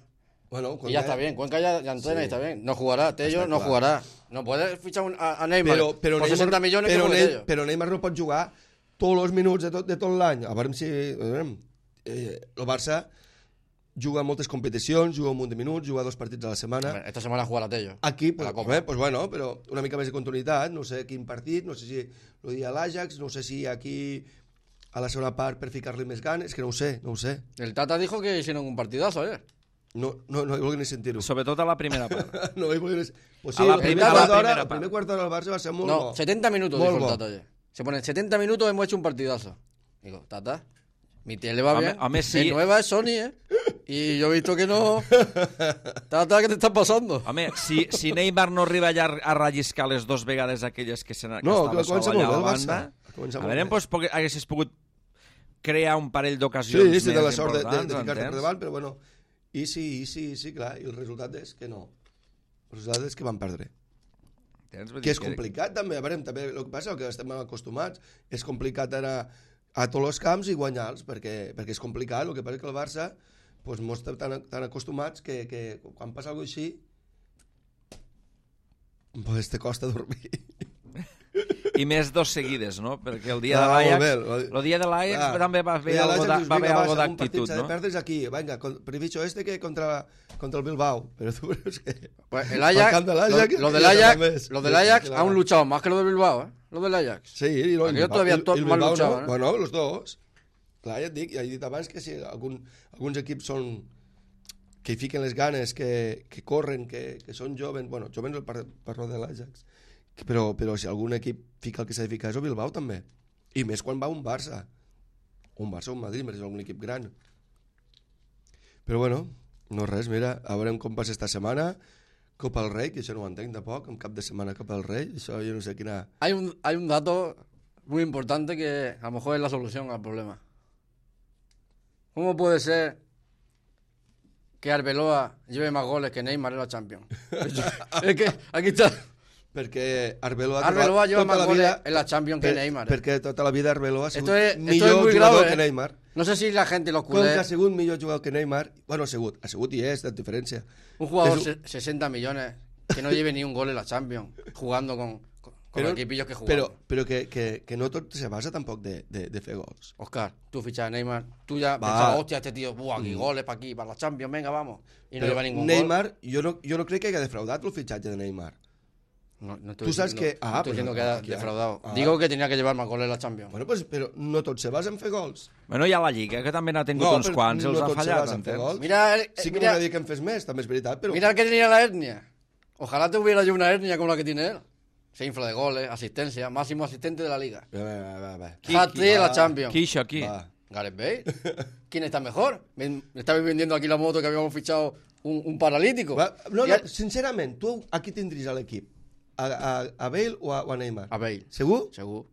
Bueno, Y ya está bien. Cuenca ya, ya entrena y Sí. está bien. No jugará. Tello Está no claro. jugará. No puedes fichar un- a, a Neymar Però, però, por Neymar, sesenta millones però, como Ne- Tello. però Neymar no pot jugar tots els minuts de tot, de tot l'any. A veure si... Eh, el Barça juga moltes competicions, juga un munt de minuts, juga dos partits a la setmana. Esta semana juega la Tello. Aquí, pues, la Copa. eh, pues bueno, però una mica més de continuïtat, no sé quin partit, no sé si lo dia l'Ajax, no sé si aquí a la segona part per ficar-li més ganes, que no ho sé, no ho sé. El Tata dijo que hicieron un partidazo ayer. No, no, no he volgut ni sentir-ho. Sobretot a la primera part. No he volgut ni... Pues sí, A la el primer primera- quart a la d'hora, primera el primer part. quart d'hora del Barça va ser molt No, bo. setenta minutos Molt dijo el bo. Tata ayer. Se ponen setenta minutos, hemos hecho un partidazo. Digo, Tata, mi tele va Home, bien. home, sí. Mi nueva es Sony, ¿eh? Y yo he visto que no. Tata, ¿qué te está pasando? Home, si, si Neymar no arriba ja a relliscar les dues vegades aquelles que, se que No, estava que comença sol allà molt a bé la el Barça. banda, Comença a molt veure, bé. doncs, poc- haguessis pogut crear un parell d'ocasions Sí, sí, més de la sort de, de, importants, de ficar-te per entens? davant, però bueno, i sí, i sí, i sí, clar, i el resultat és que no. El resultat és que van perdre. Entens? Vull Que dir és complicat també, a veure, també el que passa, el que estem acostumats, és complicat anar a tots els camps i guanyar-los, perquè, perquè és complicat, el que passa és que el Barça pues, no estem tan, tan acostumats que, que quan passa alguna cosa així pues te costa dormir. I més dos seguides, no? Perquè el dia Ah, de molt l'Ajax, bé. el dia de l'Ajax Ah, també va haver ja, algo l'Ajax de- dius, va haver vinga, algo va, un partit d'actitud, s'ha de no? perdre's aquí, vinga, preficho este que contra, contra el Bilbao, pero tú crees que... Pues el Ajax, Al camp del Ajax, lo, lo del ya Ajax, sabes. lo del Ajax Sí, han claro. luchado más que lo del Bilbao, ¿eh? Lo del Ajax. Sí, i no, Aquello el todavía Bilbao- tot el- el mal Bilbao luchado, no. ¿no? Bueno, los dos. Clar, ja et dic, ja he dit abans que si algun, alguns equips són que hi fiquen les ganes, que, que corren, que, que són jovens, bueno, jovens per, parlo de l'Ajax, que- però, però si algun equip fica el que s'ha de ficar és el Bilbao també. I més quan va un Barça. Un Barça o un Madrid, més algun equip gran. Però bueno, no res, mira, a veure com passa esta setmana. Copa del Rei, que això no ho entenc tampoc, un cap de setmana Copa del Rei, això jo no sé quina... Hay un, hay un dato muy importante que a lo mejor es la solución al problema. ¿Cómo puede ser que Arbeloa lleve más goles que Neymar en la Champions? Es que aquí está. Perquè Arbeloa, Arbeloa lleva tota más la goles vida, en la Champions que per- Neymar. eh. Perquè tota la vida Arbeloa ha sigut Esto es, esto millor es muy jugador grave. que eh. Neymar. No sé si la gente, los Com que ha culés, sigut millor jugador que Neymar, bueno, ha sigut, ha sigut i és, de diferència. un jugador es un- se- sesenta millones que no lleve ni un gol en la Champions, jugando con, con, con los equipillos que jugamos. Però, però que, que, que no tot se basa tampoc de, de, de fer gols. Oscar, tú fichas a Neymar, tú ya Va. pensabas, hostia, este tío, buah, aquí goles para aquí, para la Champions, venga, vamos. Y no Però lleva ningún Neymar, jo no, jo no crec que hagi defraudat el fitxatge de Neymar. gol. No, no estoy Tú sabes diciendo- que- ah, no estoy pues diciendo no, que haya aquí hay- defraudado. ah. Digo que tenía que llevar más goles en la Champions. Bueno, pues, però no tot se basa en fer gols. Bueno, hi ha la Lliga, que també n'ha tingut No, uns però quants i els no ha tot se fallat, basa en fer entens? gols. Mira, el- Sí que mira, m'agradaria que en fes més, també és veritat, però... mira el que tenía la hernia. Ojalá te hubiera yo una hernia como la que tiene él. Se infla de goles, asistencia, máximo asistente de la liga. Va, va, va, va. Hat-trick de la va. Champions. Qui, això, qui? Va. Gareth Bale. ¿Quién está mejor? Me, me estabais vendiendo aquí la moto que habíamos fichado un, un paralítico. Va, no, Y no, a- sincerament, tu a qui tindries a l'equip? A, a, a Bale o a, o a Neymar? A Bale. Segur? Seguro.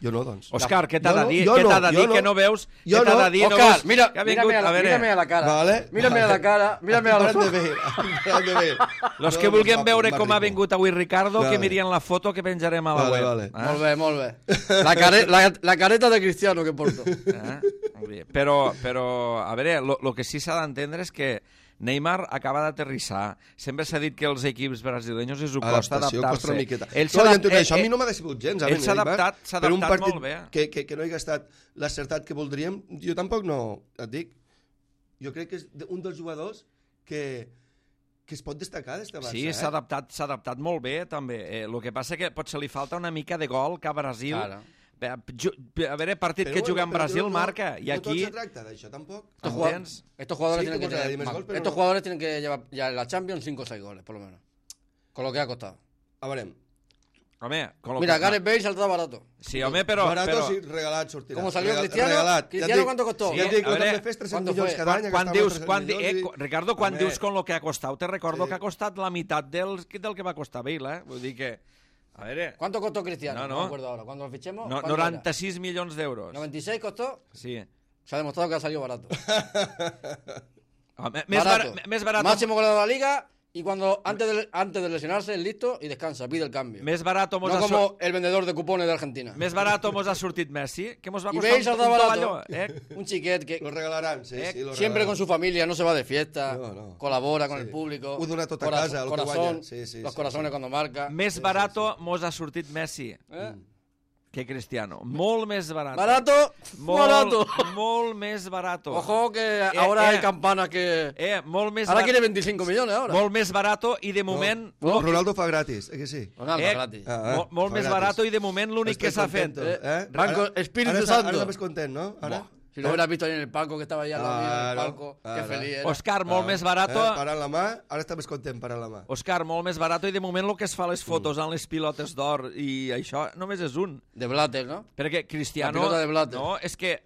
Jo no, doncs. Òscar, què t'ha Jo de no, dir? jo Què no, t'ha de jo dir? no. Que no veus? Jo Què t'ha no. de dir? No Oscar, veus mira, que ha mírame, vingut... a la, A veure, mírame a la cara. Vale, Mírame a vale. la cara. Mírame a los Parem de ojos. Bale, parem de Bale. los No, que no, vulguem va- veure va com ha ritmo. vingut avui Ricardo, que Vale. mirien la foto que penjarem a la Vale, web. vale. Ah? Molt bé, molt bé. La, care, la, la careta de Cristiano que porto. Eh? Molt bé. Però, però, a veure, el que sí s'ha d'entendre és que Neymar acaba d'aterrissar. Sempre s'ha dit que els equips brasileños és ho costa Adaptació, costa adaptar-se. una miqueta. Ell No, s'ha ja adap- entenc eh, això. A mi eh, no m'ha decebut gens. a ell mi, s'ha Neymar. adaptat- s'ha Per un adaptat partit molt bé. Que, que, que no hi ha estat l'acertat que voldríem, jo tampoc no, et dic. Jo crec que és de- un dels jugadors que, que es pot destacar d'esta Barça. Sí, eh? s'ha adaptat, s'ha adaptat molt bé, també. Eh, el que passa que potser li falta una mica de gol que a Brasil... Claro. Bé, ju- A veure, partit Però que bueno, juga en però Brasil no, marca, i no tot aquí... se tracta d'això, tampoc. Estos, ¿Entens? jugadores, estos jugadores Sí, tienen que que podrá tener ir más más- gol, pero estos no. jugadores tienen que llevar ya en la Champions cinco o seis goles, por lo menos. Con lo que ha costado. A veure, Home, con lo Mira, que... Gareth Bale saldrá barato. Sí, home, però... barato però... sí, regalat sortirà. ¿Cómo salió Regal- Cristiano? Regalat. ¿Cristiano Ja et dic- cuánto costó? Ja et dic, a veure, quan fes tres cents ¿cuándo milions fue? cada any... Quan, quan gastava dius, tres cents quan, di- milions eh, i- co- Ricardo, quan Home, dius con lo que ha costat, te recordo Sí. que ha costat la meitat del, del que va costar Bale, eh? Vull dir que... A veure... ¿Cuánto costó Cristiano? No, No, no. me acuerdo ahora. Cuando lo fichemos. No, ¿cuánto noranta-sis milions era? d'euros. ¿noventa y seis costó? Sí. Se ha demostrado que ha salido barato. Home, més barato. barat, més barat, Máximo goleador de la liga. Y cuando antes de, antes de lesionarse, es listo y descansa, pide el cambio. més barat mos No ha, como sur... el vendedor de cupones de Argentina. més barat mos ha sortit Messi, que mos va Y costar Bale un, saldrá un barato. tovalló, eh? Un chiquet que Lo regalaran, sí, Eh, sí, lo siempre con regalaran. su familia, no se va de fiesta, No, no. colabora con Sí. el público. Ho dona tot a corazón- casa, lo que corazón, guanya. Sí, sí, los sí, corazones sí. cuando marca. Més barato mos ha sortit Messi. ¿Eh? que Cristiano. Molt més barato. Barato, Molt, barato. molt més barato. Ojo que Eh, ahora eh. hay campanas que... Eh, molt més Ahora bar- quiere veinticinco millones ahora. Molt més barato i de moment... No, Ronaldo fa gratis, eh que sí? Ronaldo, Eh, gratis. Ah, ah, molt, molt fa més gratis. barato i de moment l'únic que s'ha fet... contento, eh? Banco Ara- Espíritu ara està- Santo. Ara estàs content, no? Ara? Buah, si lo hubieras visto ahí en el palco, que estaba ahí al lado mío en el Claro, palco, qué claro. feliz era. Òscar, molt més barato... Eh, parant la mà, ara està més content parant la mà. Òscar, molt més barato i de moment el que es fa les fotos amb les pilotes d'or i això només és un. De Blatter, ¿no? Perquè Cristiano... La pilota de Blatter. No, és que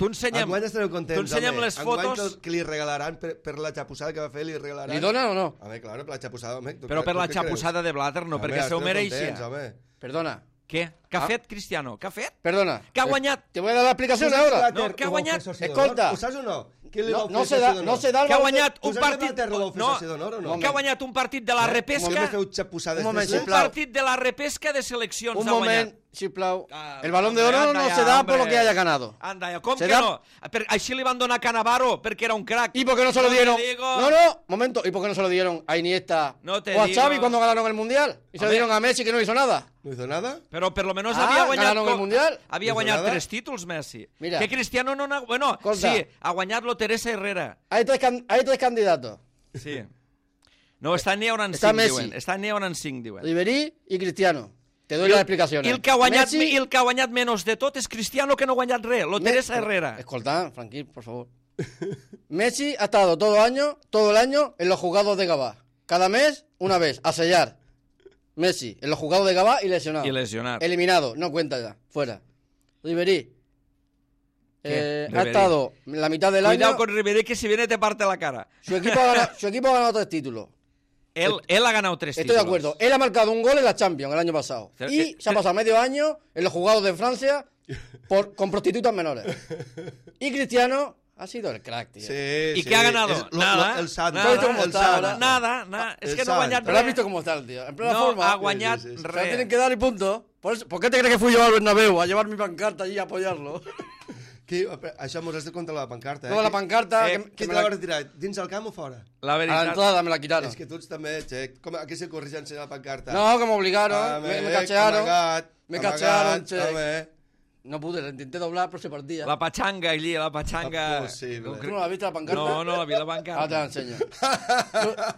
tu ensenyem... Enguany estareu contents, tu ensenyem home. les Enguany fotos... que, que li regalaran per, per la xapussada que va fer, li regalaran... ¿Li donan o no? Home, claro, per la xapussada, home. tu Però què- per tu la què creus? xapusada de Blatter no, Home, perquè se ho estareu mereixia. contents, home. Perdona, Què? Què ha Ah. fet Cristiano? Què ha fet? perdona. Que ha guanyat... Te voy a dar la explicación Tu saps ahora. Blatter No, que ha ho va guanyat- fer soci Escolta. d'honor? Ho saps o no? Qui li No, va no fer se soci da, d'honor? no se da el Que ha valor de- guanyat Tu un saps que partit... Blatter ho va fer No, soci d'honor o no? que ha guanyat un partit de la Un repesca... Molt bé feu xapusades. Un moment, d'estes. Un sisplau. partit de la repesca de seleccions Un ha guanyat. moment, Chiplau. Ah, El balón de hombre, oro anda no ya, se da hombre. por lo que haya ganado. Anda, ja, com Se que da- no? Per, així li van donar a Cannavaro, perquè era un crack. ¿Y por qué no se lo te dieron? digo. No, no, momento. ¿Y por qué no se lo dieron a Iniesta No te o a digo. Xavi cuando ganaron el Mundial? Y se lo Hombre. dieron a Messi que no hizo nada. No hizo nada? Però per lo menos Ah, havia guanyat... ganaron el co- Mundial. Havia No guanyat nada. tres títols, Messi. Mira. Que Cristiano no n'ha... Bueno, Escolta. sí, ha guanyat-lo Teresa Herrera. Hay tres, can- hay tres candidatos. Sí. No, està n'hi hauran Està cinc, Messi. diuen. Està n'hi hauran cinc, diuen. Ribery y Cristiano. Te doy I las el, explicaciones. i el, que ha guanyat, Messi- i el que ha guanyat menys de tot és Cristiano, que no ha guanyat res. Lo Me- Teresa Herrera. Escolta, tranquil, por favor. Messi ha estado todo el año, todo el año en los juzgados de Gabá. Cada mes, una vez, a sellar. Messi, en los juzgados de Gabá y lesionado. I lesionat. Eliminado, no cuenta ya, fuera. Ribery. Eh, ha Ribery? estado la mitad del Cuidado año. con Ribery, que si viene te parte la cara. Su equipo, ha ganado, su equipo ha ganado tres títulos. Él, él ha ganado tres Estoy de títulos. acuerdo. Él ha marcado un gol en la Champions el año pasado. Pero Y que- se ha pasado medio año en los juzgados de Francia por, con prostitutas menores. Y Cristiano ha sido el crack, tío. Sí, ¿Y sí. qué ha ganado? És lo- Nada. lo- el sant. Nada. ¿Has visto cómo el está sant. ahora? Nada, nada. És El que no ha sant. guanyat Pero has res. visto cómo está el tío. En plena No forma. ha guanyat Sí, sí, sí. Se la res. tienen que dar y punto. Por, eso- ¿por qué te crees que fui yo al Bernabéu a llevar mi pancarta allí a apoyarlo? Qui, això mos has de contar la pancarta, eh? No, la pancarta... Eh, que, Qui que te me la va la, retirar? Dins el camp o fora? La a la veritat... entrada me la quitaron. És que tu ets també, Che. Com, a què se corrige ensenyar la pancarta? No, que me obligaron. Home, me, me cachearon. amagat, me amagat, cachearon, che. home. No pude, la intenté doblar, pero se partía. La pachanga allí, la pachanga... Impossible. ¿Tú no la has visto la pancarta? No, no la vi la Ahora te la pancarta. enseño.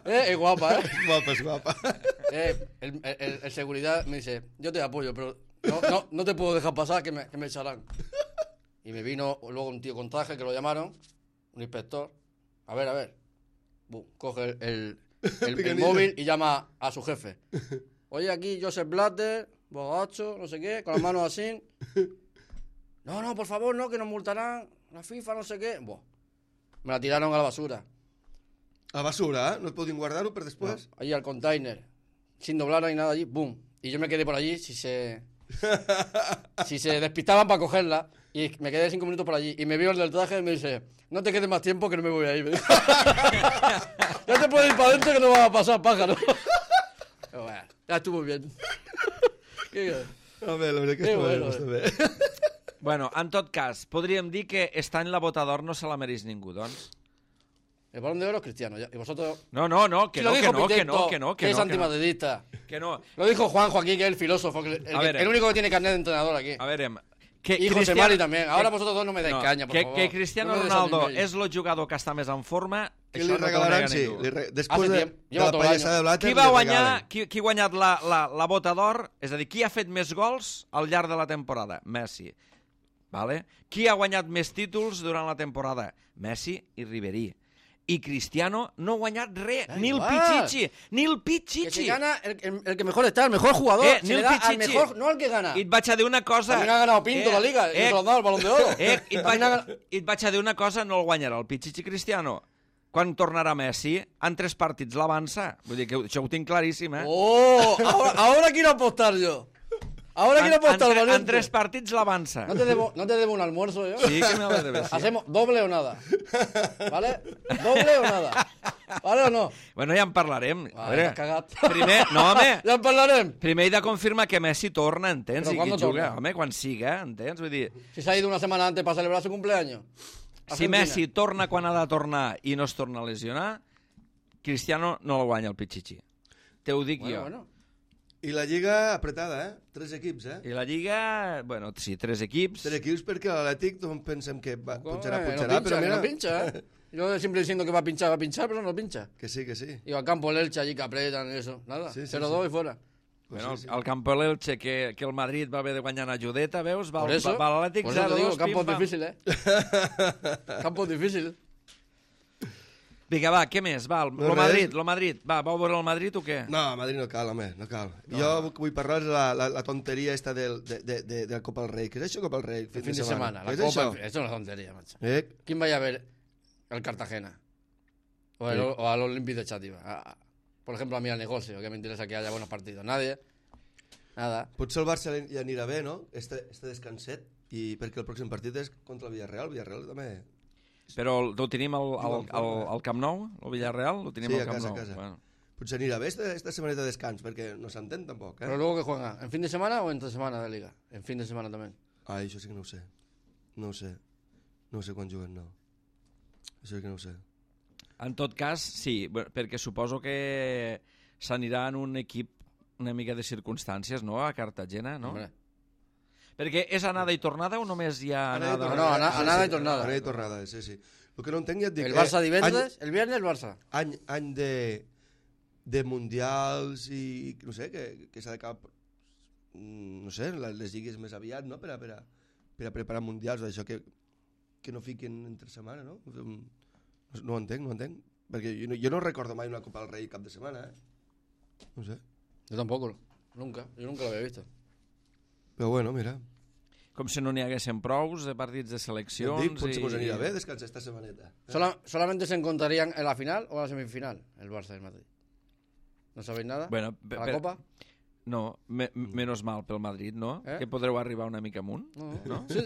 eh, es guapa, ¿eh? Guapa, és guapa. Eh, el, el- el seguridad me dice, yo te apoyo, pero no, no, no te puedo dejar pasar que me, que me echarán. Y me vino luego un tío con traje que lo llamaron, un inspector. A ver, a ver. Bum, coge el, el, el- el Picanillo. móvil y llama a su jefe. Oye, aquí Joseph Blatter, borracho, no sé qué, con las manos así. No, no, por favor, no, que nos multarán. La FIFA, no sé qué. Buah. Me la tiraron a la basura. A basura, eh? No et podien guardar-ho per No, després? allí al container. Sin doblar ni nada allí, boom. Y yo me quedé por allí si se. si se despistaban para cogerla. Y me quedé cinco minutos por allí. Y me vio el del traje y me dice: No te quedes más tiempo que no me voy a ir. Me dijo. Ya te puedes ir para adentro que no va a pasar, pájaro. Pero bueno, ya estuvo bien. Qué- Home, la veritat que Que està bé, bueno, està bé. Bueno, en tot cas, podríem dir que està en la bota d'or no se la mereix ningú, doncs. El balón de oro es cristiano. ya. Y vosotros. No, no, no, que Si no, lo que dijo no, que Pitecto, no, que no, que es no, que no, antimadridista. que no. Lo dijo Juanjo aquí, que es el filósofo, que el, el, A ver, el único que tiene carnet de entrenador aquí. A veure, que Y José Cristiano- Mari también. Ahora que- vosotros dos no me dais no, caña, por que, favor. que Cristiano No me Ronaldo desaniméis. és el jugador que està més en forma, Què això li no t'ho regalaran? nega Sí, ningú. li re... després Hace de, tiempo. de Lleva la todo el pallassada año. de Blatter Qui va li guanyar, regalen. qui, qui ha guanyat la, la, la bota d'or? És a dir, qui ha fet més gols al llarg de la temporada? Messi. Vale? Qui ha guanyat més títols durant la temporada? Messi i Ribery. I Cristiano no ha guanyat res, Da ni el igual. Pichichi, ni el Que se Pichichi. gana el, el- el que mejor está, el mejor jugador. Eh, se ni le el da al Pichichi. mejor, no al que gana. I et vaig a dir una cosa... También ha ganado Pinto la Liga, y no se lo han dado el Balón de Oro. Eh, i, et vaig, También ha ganado- I et vaig a dir una cosa, no el guanyarà el Pichichi Cristiano. Quan tornarà Messi, en tres partits l'avança. Vull dir que això ho tinc claríssim, eh? Oh, ahora, ahora quiero apostar yo. Ahora quiero en, en, apostar, tre- en valiente. tres partits l'avança. No te debo, no te debo un almuerzo yo. Sí que me lo debes, sí. Hacemos doble o nada. ¿Vale? Doble o nada. ¿Vale o no? Bueno, ja en parlarem. A Ah, veure, t'has cagat. primer, no, home, Ya en parlarem. primer he de confirmar que Messi torna, entens? Però I quan qui no juga, torna? home, quan siga, entens? Vull dir, Si se ha ido una semana antes para celebrar su cumpleaños. si Argentina. Messi torna quan ha de tornar i no es torna a lesionar, Cristiano no el guanya el Pichichi. Te ho dic Bueno, jo. bueno. I la Lliga apretada, eh? Tres equips, eh? I la Lliga, bueno, sí, tres equips. Tres equips perquè l'Atlètic doncs, pensem que va, pujarà, Eh, pujarà, no pincha, però que mira... no pincha, ¿eh? Yo siempre diciendo que va a pinchar, va a pinchar, pero no pincha. Que sí, que sí. Y al campo el Elche allí que apretan y eso. Nada, Sí, sí, cero dos sí. y fuera. Pues Bueno, sí, sí. el campo de l'Elche, que, que el Madrid va haver de guanyar una judeta, veus? Va, Por eso, va, va l'Atlètic por eso te zero digo, dos, campo pim-pam. difícil, ¿eh? Campo difícil. Vinga, va, què més? Va, el, No, lo res. Madrid, lo Madrid. Va, vau veure el Madrid o què? No, a Madrid no cal, home, no cal. No. Jo vull parlar de la, la, la tonteria esta del, de, de, de, de la Copa del Rei. Què és això, Copa del Rei? El fin de semana. La ¿Qué es Copa, eso? eso es una tontería, macho. Eh? ¿Quién vaya a ver el Cartagena? O, el, Sí. o al Olympique de Chátiva. A- a- por ejemplo, a mí al negocio, que me interesa que haya buenos partidos. Nadie. Nada. Potser el Barça li anirà bé, no? Este, este descanset. I perquè el pròxim partit és contra el Villarreal. El Villarreal també... Però el- ho tenim al, al, al, al Camp Nou, el Villarreal? Ho tenim Sí, al a Camp casa, a Nou. casa. Bueno. Potser anirà bé esta, esta setmaneta de descans, perquè no s'entén tampoc, eh? Pero luego que juega, ¿en fin de semana o entre semana de liga? En fin de semana también. Ai, això sí que no ho sé. No ho sé. No ho sé quan juguen, no. Això sí que no ho sé. En tot cas, sí, bé, perquè suposo que s'anirà en un equip una mica de circumstàncies, no?, a Cartagena, no? Hombre. Perquè és anada i tornada o només hi ha Anada i anada? No, no, ana- anada i tornada. Anada i tornada, sí, sí. El que no entenc ja et dic... El Barça eh, divendres, el viernes el Barça. Any, any, any de, de mundials i... No sé, que, que s'ha d'acabar... mm, No sé, les, les lligues més aviat, no?, per a, per a, per a preparar mundials, això que, que no fiquen entre setmana, no? No, no ho entenc, no ho entenc. Perquè jo no, jo no recordo mai una Copa del Rei cap de setmana, eh? No sé. Yo tampoco, nunca. Yo nunca lo había visto. Però bueno, mira. Com si no n'hi haguessin prous de partits de Jo et seleccions... dic, potser i... mos anirà bé descansar esta setmaneta. Eh? Sola- solamente se encontrarían en la final o en la semifinal, el Barça y el Madrid. ¿No sabéis nada? Bueno, ¿A la per- Copa? No, me, menos mal pel Madrid, no? Eh? Que podreu arribar una mica amunt, No. no? Sí,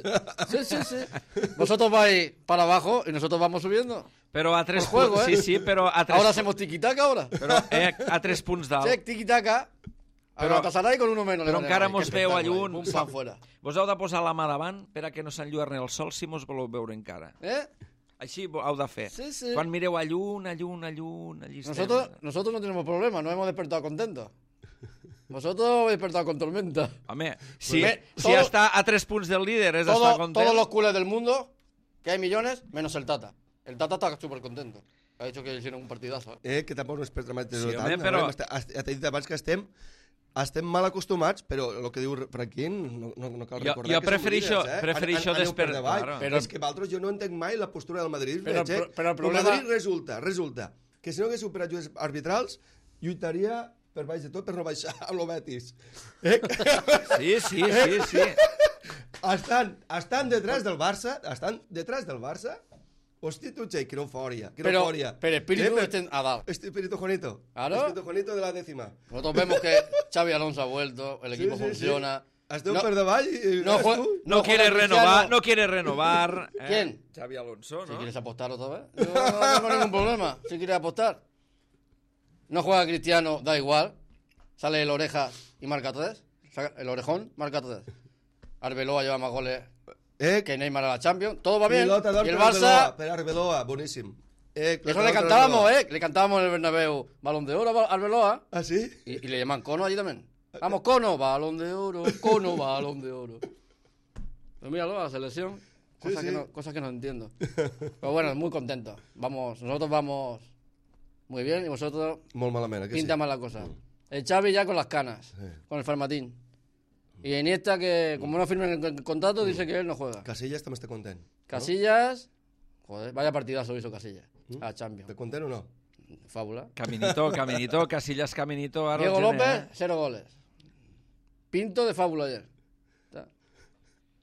sí, sí, sí. Vosotros vais para abajo y nosotros vamos subiendo. Però a tres Por juego, punts... ¿eh? Sí, sí, però a tres, Ahora hacemos tiquitaca ahora. però, eh, a tres punts dalt. Sí, tiquitaca. Però- Pero Galatasaray con uno menos. le però van a encara ganar. mos Qué veu a espectáculo, lluny. Pum, pam, fuera. Vos heu de posar la mà davant per a que no s'enlluerni el sol si mos voleu veure encara. ¿Eh? Així ho heu de fer. Sí, sí. Quan mireu a llun, a llun, a llun, allí estem. Nosotros, nosotros no tenemos problema, nos hemos despertado contentos. Vosotros habéis despertado con tormenta. Home, si, Pues, si todo- està a tres punts del líder és Todo- estar content. todos los culés del mundo, que hay millones, menos el Tata. El Tata está súper contento. Ha dicho que hicieron un partidazo. ¿eh? Eh, que tampoc no és per dramatitzar-ho Sí, tant. home, però- Estem- est- Ja t'he dit abans que estem estem mal acostumats, però el que diu Franquín no, no, no cal Jo- recordar jo que som preferixo- líders, eh? preferixo An- an- aneu desper- per davall. claro. Però- És que vosaltres jo no entenc mai la postura del Madrid. Però- veig, eh? però- però el problema- Madrid resulta, resulta, que si no hagués superat jugadors arbitrals, lluitaria per baix de tot per no baixar amb el Betis. Eh? Sí, sí, sí, sí. estan, estan detrás del Barça, estan detrás del Barça. Hòstia, tu, Che, que no fòria, que no Pero, fòria. pero espíritu Eh, estén a dar. Este espíritu Juanito. Claro. Espíritu Juanito de la décima. Nosotros vemos que Xavi Alonso ha vuelto, el equipo Sí, sí, funciona. sí. Esteu No- per davall i... no ves jue- tu? No, No quiere juega renovar, Cristiano. no quiere renovar. eh? ¿Quién? Xavi Alonso, Si ¿no? quieres apostar otra vez, yo no tengo ningún problema. Si quieres apostar. No juega Cristiano, da igual. Sale el oreja y marca tres. Saca- El orejón marca tres. Arbeloa lleva más goles Eh, que Neymar a la Champions. Todo va bien. pilota d'or Y el per Arbeloa, Barça, per Arbeloa, boníssim. Eh, eso le cantábamos, ¿eh? Le cantábamos en el Bernabéu Balón de Oro a Arbeloa. ¿Ah, sí? Y, y le llaman Cono allí también. Vamos, Cono, Balón de Oro, Cono, Balón de Oro. Pues míralo, la selección. Cosas, Sí, que sí. no, cosas que no entiendo. Pero bueno, muy contentos. Vamos, nosotros vamos muy bien y vosotros Molt malament, eh, que sí? pinta mal la cosa. El Xavi ya con las canas, Sí. con el Farmatín. Y Iniesta que, como no firmen el contrato, dice que él no juega. Casillas també està content. Casillas, joder, vaya partidazo hizo Casillas. ¿Mm? A la Champions. Està content o no? Fábula. Caminito, Caminito, Casillas Caminito. Ara Diego el gener, López, eh? cero goles. Pinto de fábula ayer. Está.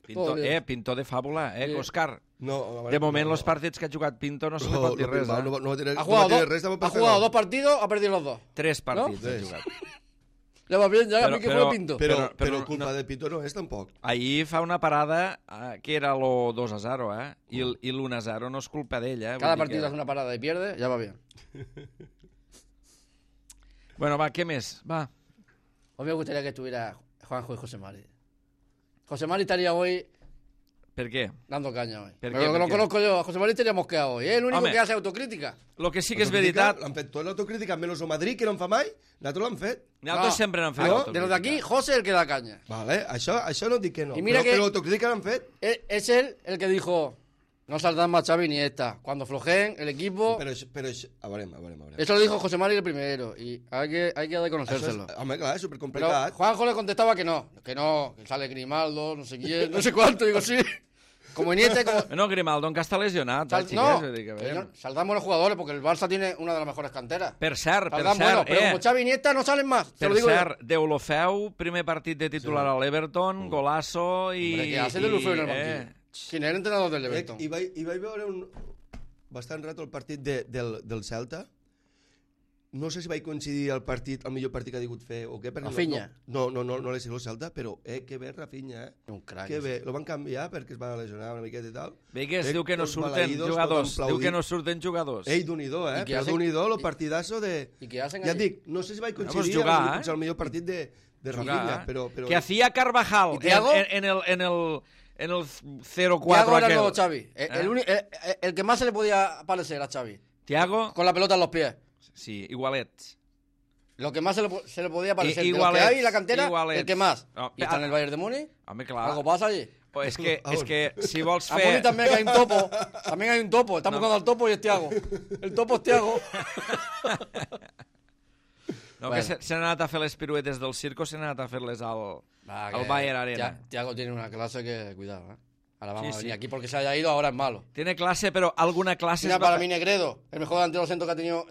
Pinto, Todo bien. eh, Pinto de fàbula, eh, Sí. Òscar. No, De moment, els partits que ha jugat Pinto no se li pot dir res, no, eh? no, no, va tenir, Ha no jugado, va tenir dos, res de ha papel. jugado dos partidos, ha perdido los dos. Tres partits No? ha Sí. jugat. Le va bien, ya, Però- a mí que però- fue Pinto. Però, Però- però, però culpa no- de Pinto no és tampoc. Ahir fa una parada eh, que era lo dos a zero, eh? I, el- i l'u a zero no és culpa d'ell, eh? Vull Cada dir partido que... hace una parada y pierde, ya va bien. Bueno, va, què més? Va. Hoy me gustaría que estuviera Juanjo y José Mari. José Mari estaría hoy ¿Por qué? Dando caña hoy. ¿Per Pero qué, lo que per no qué? conozco yo, a José María estaríamos quedados hoy. Es el único Home. que hace autocrítica. Lo que sí que és Autocrítica, veritat... L'han fet tot l'autocrítica, menys el Madrid, que no en fa mai, nosaltres l'han fet. Nosaltres No. sempre n'hem fet No, autocrítica. de los de aquí, José es el que da caña. Vale, això, això no dic que no, I mira però, que- però l'autocrítica l'han fet. Es, es él el que dijo, no saltan más Xavi ni esta. Cuando flojeen el equipo... Però, això- però això, a veurem, a veurem, a veurem. Eso lo dijo José María el primero. Y hay que, hay que Això reconocérselo. és, home, clar, és Pero supercomplicat. Juanjo le contestaba que no. Que no, que sale Grimaldo, no sé quién, no sé cuánto. Digo, sí. Como Iniesta, como... No, Grimaldo encara està lesionat, Sal- eh, xiquets? no, Vull dir que, a veure. señor, saltamos los jugadores porque el Barça tiene una de las mejores canteras. Per cert, per Saldan cert, buenos, pero eh, como Xavi y Iniesta no salen más. Te per lo digo yo. cert, Deulofeu, primer partit de titular a l'Everton, golazo i... Hombre, ¿qué hace de Lufeu en el i, banquillo? ¿Quién es el entrenador del Eh, Everton? I, vaig, I vaig veure un, bastant rato el partit de, del, del Celta. No sé si vaig coincidir el partit, el millor partit que ha digut fer o què. perquè Rafinha. No, no, no, no, no l'he sigut el Celta, però eh, que bé Rafinha, eh? Un crack. Que bé, lo van canviar perquè es va lesionar una miqueta i tal. Vigues, Eh, diu que no tots surten maleïdos, jugadors. tothom Diu que aplaudint. no surten jugadors. Ei, d'un-i-do, eh? I què Però hacen- d'un-i-do, el i- partidazo de... ¿Y qué hacen Ja et allí? dic, no sé si vaig pues coincidir jugar, amb el, eh? potser el millor partit de, de Jugar, Rafinha, eh? però... però Que hacía Carvajal ¿Y en, Thiago? en, en el, en el, en el cero Thiago cuatro era el aquel. nuevo Xavi. El, el ¿Eh? uni- el- el- el que más se le podía parecer a Xavi. Thiago, Con la pelota en los pies. sí, igualets. Lo que más se le, po- se le podía parecer. I- De los que igualets, hay en la cantera, igualets. el que más. No, y está en el Bayern de Múnich. Home, clar. Algo pasa allí. Oh, és que, A és on? que si vols A fer... Múnich también hay un topo. También hay un topo. Estamos No. buscando al topo y es Thiago. El topo es Thiago. No, Bueno. que se- s'han anat a fer les piruetes del circo, s'han anat a fer-les al, Va, al que Bayern Arena. Thia- Thiago tiene una clase que, cuidado, ¿eh? Ahora vamos Sí, a venir sí. aquí porque se haya ido, ahora es malo. Tiene clase, però alguna classe... Mira, es va para fer- mí Negredo, el mejor delantero centro que ha tenido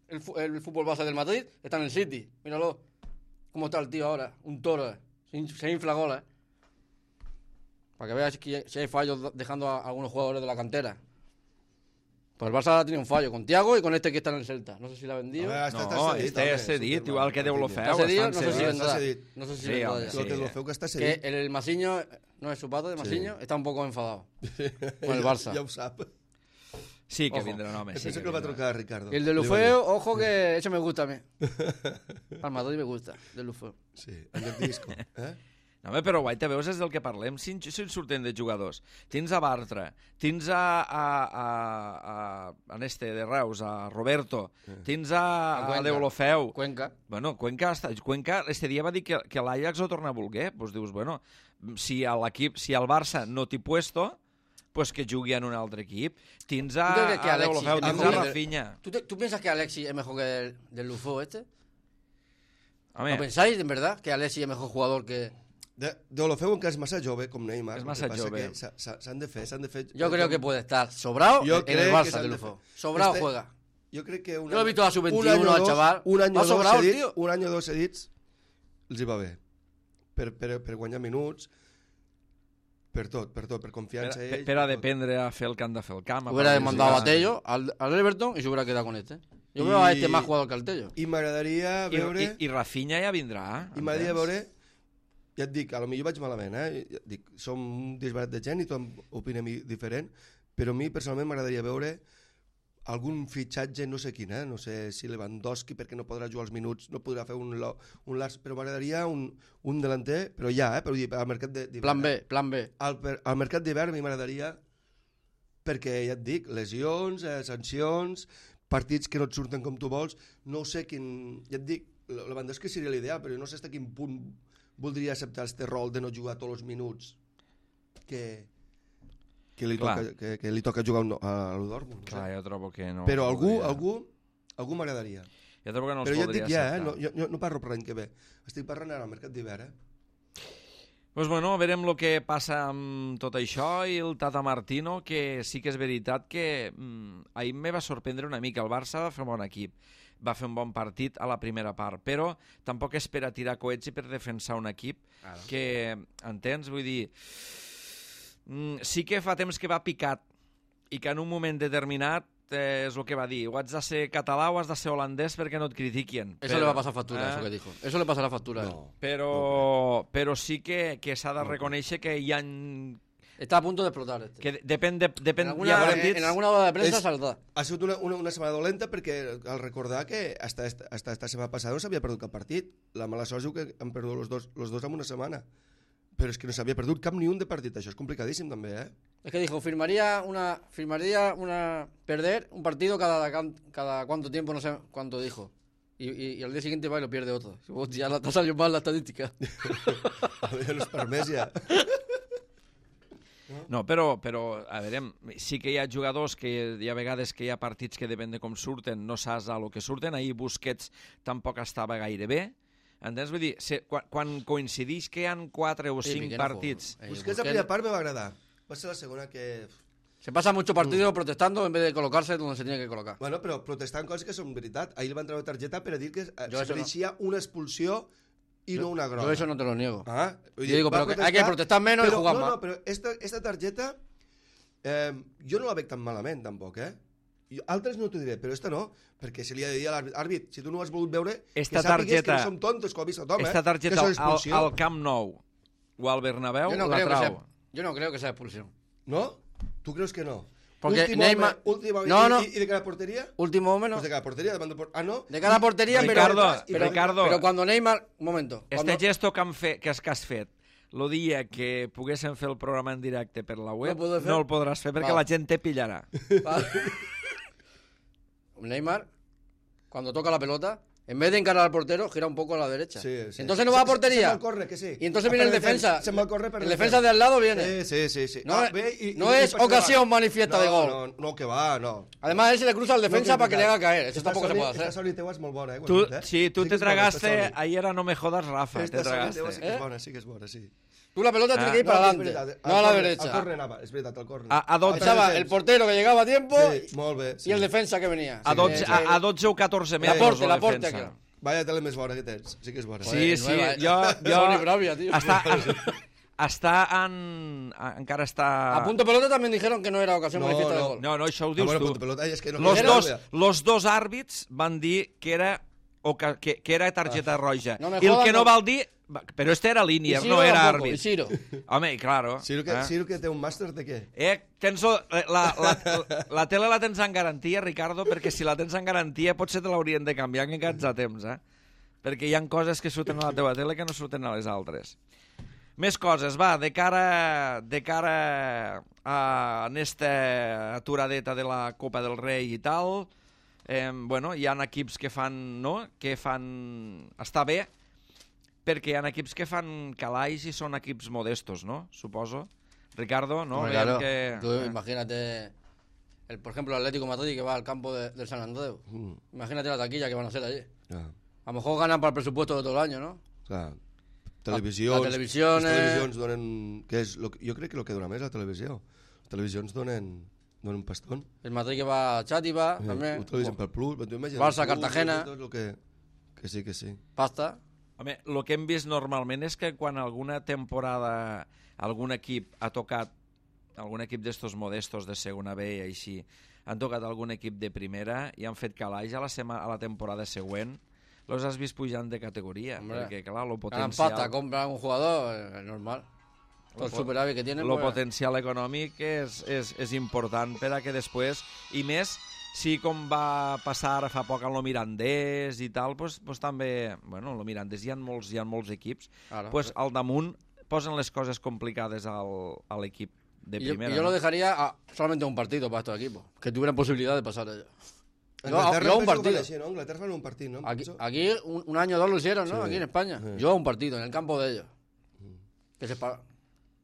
el, fu- el fútbol base del Madrid, está en el City. Míralo. ¿Cómo está el tío ahora? Un toro, ¿eh? Se, in- se infla goles. Para que veas que si hay fallos dejando a algunos jugadores de la cantera. Pues el Barça tiene un fallo con Thiago y con este que está en el Celta. No sé si la ha vendido. A veure, està, No, està cedit, este home, és cedit, Superman, igual que Rafinha. Deulofeu. ¿Está cedido? estan No sé si cedits. Está vendrá. cedido. No sé si Sí, vendrá hombre, ya. sí. Lo que lo feu que està Que cedit. el, el Masiño, no es su padre de Masiño, está un poco enfadado con el Barça. Ja ho sap. Sí, que Ojo. vindrà, home. Sí, Penso que que el va vindrà. trucar Ricardo. Y el de Li va Lufeu, ojo que ese me gusta a mí. dir. Al Madrid me gusta, de Lufeu. Sí, en el disco. Eh? No, home, però guaita, veus, és del que parlem. Si, si en surten de jugadors. Tens a Bartra, tens a, a, a, a, a este de Reus, a Roberto, tens a, A a Cuenca. Deulofeu. Cuenca. Bueno, Cuenca, està, Cuenca este dia va dir que, que l'Ajax ho torna a voler. Doncs dius, bueno, si a l'equip, si al Barça no t'hi puesto, pues que jugui en un altre equip. Tens a, ¿Tú crees que a Alexis Deulofeu, es tens mejor a que- Rafinha. ¿Tú, te- tú piensas que Alexis es mejor que el del Lufeu este? Home, ¿Lo pensáis, en verdad, que Alexis es mejor jugador que...? De, de lo feu encara és massa jove, com Neymar. És el massa que passa jove. que s'ha- s'ha- S'han de fer, s'han de fer... Yo creo que puede estar sobrado Yo en creo el que Barça s'han del de Lufeu. fer. Sobrado Este- juega. Jo crec que un Yo lo he visto a sub un veintiuno any o al dos- chaval. Un any Va o dos sobrado, cedits, tío. un any o dos cedits els hi va bé. Per, per, per guanyar minuts, per tot, per tot, per per, confiança per, ells. per a tot. dependre a fer el que han de fer el camp. a Hubiera part de demandado jugar. a Tello al, al Everton y se hubiera quedado con este. Yo Y- veo a este más jugador que al Tello. I m'agradaria I, veure... i, I Rafinha ja vindrà. I m'agradaria entens? veure... Ja et dic, a lo millor vaig malament, eh? Ja et dic, som un disbarat de gent i tothom opinem i- diferent, però a mi personalment m'agradaria veure algun fitxatge, no sé quin, eh? No sé si Lewandowski perquè no podrà jugar els minuts, no podrà fer un, lo- un Lars, però m'agradaria un, un delanter, però ja, eh? Però vull dir, al mercat de- d'hivern. Plan B, plan B. Al, per- al mercat d'hivern a mi m'agradaria, perquè ja et dic, lesions, eh, sancions, partits que no et surten com tu vols, no sé quin... Ja et dic, Lewandowski seria l'ideal, però no sé fins a quin punt voldria acceptar este rol de no jugar tots els minuts que, que, li, Clar. toca, que, que li toca jugar a l'U Dortmund. No Clar, sé. jo trobo que no... Però algú, podria. algú, algú m'agradaria. Jo trobo que no els Però ja et podria dic ja, eh? acceptar. no, jo, jo no parlo per l'any que ve. Estic parlant ara al mercat d'hivern, eh? Pues bueno, verem el que passa amb tot això i el Tata Martino, que sí que és veritat que mm, ahir me va sorprendre una mica. El Barça va fer un bon equip, va fer un bon partit a la primera part, però tampoc és per a tirar coets i per defensar un equip que, entens? Vull dir, mm, sí que fa temps que va picat i que en un moment determinat eh, és el que va dir, o has de ser català o has de ser holandès perquè no et critiquin. Eso le va a pasar factura, eh, eso que dijo. Eso le pasará factura. a él. No. Però, però sí que, que s'ha de reconèixer que hi ha... Está a punto de explotar este. Que depèn de, depèn, en, hi ha alguna, en, partits... en alguna hora de prensa Es- saldrá. Ha sigut una, una, una setmana dolenta perquè al recordar que hasta esta, hasta esta setmana passada no s'havia perdut cap partit. La mala sort diu que han perdut los dos, los dos en una setmana. Però és que no s'havia perdut cap ni un de partit. Això és complicadíssim, també, eh? Es que dijo, firmaría una, firmaría una, perder un partido cada, cada cuánto tiempo, no sé cuánto dijo. Y, y, y al día siguiente va y lo pierde otro. Ya te ha salido mal la estadística. Ja no és permès, ja. No, però, però, a veure, sí que hi ha jugadors que hi ha vegades que hi ha partits que depèn de com surten, no saps a lo que surten. Ahir Busquets tampoc estava gaire bé. Entens? Vull dir, se, quan, quan coincideix que hi ha quatre o cinc sí, partits... No, eh, Busquets, la primera part me va agradar. Va ser la segona que... Se pasa mucho partido mm. protestando en vez de colocarse donde se tiene que colocar. Bueno, però protestant coses que són veritat. Ahir li van treure targeta per a dir que jo se mereixia no. una expulsió y yo, no una groga. Yo eso no te lo niego. Ah, yo digo, pero que hay que protestar menos pero, y jugar no, más. No, però esta, esta targeta eh, jo no la veig tan malament, tampoc, eh? Jo, altres no t'ho diré, però esta no, perquè se li ha de dir a l'àrbit, si tu no ho has volgut veure, esta que sàpigues targeta, que no som tontos, que ho ha vist tothom, eh? Esta targeta al, al Camp Nou o al Bernabéu yo no la creo trau. Que sea, yo no creo que sea expulsión. ¿No? ¿Tú crees que no? Porque último Neymar... Home, último no, y, no. Y, y de cada portería? Último hombre, no. Pues de cada portería, de mando por... Ah, no. De cada portería, y, pero, Ricardo, pero, Ricardo, pero cuando Neymar... Un momento. Este cuando... gesto que, han fe, que, has, que has fet, el dia que poguéssim fer el programa en directe per la web, no, no el podràs fer perquè vale. la gent te pillarà. Vale. Neymar, cuando toca la pelota, en vez de encarar al portero, gira un poco a la derecha. Sí, sí. Entonces no va a portería. Se, se corre, que sí. Y entonces viene el defensa. Se me corre, el defensa de al lado viene. Sí, sí, sí. sí. No, ah, ve y, no y, es y ocasión manifiesta no, de gol. No, no, que va, no. Además, él se le cruza al defensa no, para que le haga caer. Eso esta tampoco soli, se puede hacer. Esta solita és molt bona, eh? Tu, eh? sí, tu sí te tragaste, bona, ayer no me jodas, Rafa, esta te tragaste. Sí que és bona, sí que és bona, sí. Tú la pelota ah, tiene que ir no, para no, adelante, veritat, no a la corre, derecha. Al córner anava, és veritat, al córner. A, a dotze, Estaba el portero que llegaba a tiempo sí, molt bé, sí. y el defensa que venía. a, dotze, sí, a, a dotze o catorze metres. L'aporte, la l'aporte defensa. aquell. Vaya tele més bona que tens, sí que és bona. Sí, sí, nueva, jo... jo Sony Bravia, tío. Està, està en... encara està... A punto pelota también dijeron que no era ocasión No, manifiesta de no. gol. No, no, això ho Ah, dius bueno, tu. punto pelota, és que no Los quiero dos, ver. los dos àrbits van dir que era, o que, que, que era targeta roja. No me I el jodas, que no no. val dir... Però este era línia, Ciro no era tampoco, àrbit. y Ciro. Home, i claro. Ciro que, eh? Ciro que té un màster de què? Eh, tens la, la, la, la tele la tens en garantia, Ricardo, perquè si la tens en garantia potser te l'haurien de canviar en aquests a temps, eh? Perquè hi ha coses que surten a la teva tele que no surten a les altres. Més coses, va, de cara, de cara a aquesta aturadeta de la Copa del Rei i tal, eh, bueno, hi ha equips que fan, no?, que fan... Està bé, perquè hi ha equips que fan calaix i són equips modestos, no?, suposo. Ricardo, ¿no? Bueno, claro, que... tú imagínate, el, por ejemplo, el Atlético de Madrid que va al campo de, del San Andreu. Mm. Imagínate la taquilla que van a hacer allí. Ah, A lo mejor ganan para el presupuesto de todo el año, ¿no? clar. Televisions, La- la televisiones- les televisions donen... Que és lo, que- jo crec que el que dona més la televisió. Les televisions donen, donen un pastón. El Madrid que va a Chátiva, Eh, también. ho television pel Plus, tu imagines, Barça, el Plus, Cartagena. Tot lo que, que sí, que sí. Pasta. Home, el que hem vist normalment és que quan alguna temporada algun equip ha tocat, algun equip d'estos modestos de segona B i així, han tocat algun equip de primera i han fet calaix a la, sema, a la temporada següent, los has vist pujant de categoria, Hombre, perquè clar, lo Ganan potencial... pasta, compran un jugador, eh, normal. Todo el superávit que tienen. Lo pues, potencial econòmic és, és, és important per a que després, i més, si com va passar fa poc amb el Mirandés i tal, pues, pues també, bueno, el Mirandés hi ha molts, hi ha molts equips, claro. pues al damunt posen les coses complicades al, a l'equip de Y yo, primera. y yo no? lo dejaría a solamente un partido para estos equipos, que tuvieran posibilidad de pasar ellos. Yo, Anglaterra yo a un penso que partido. fa així, no? Anglaterra fan un partit, no? Aquí, Penso. aquí un, un año o dos lo hicieron, ¿no? Sí. Aquí en España. Sí. Yo a un partido, en el campo de ellos. Que se pa-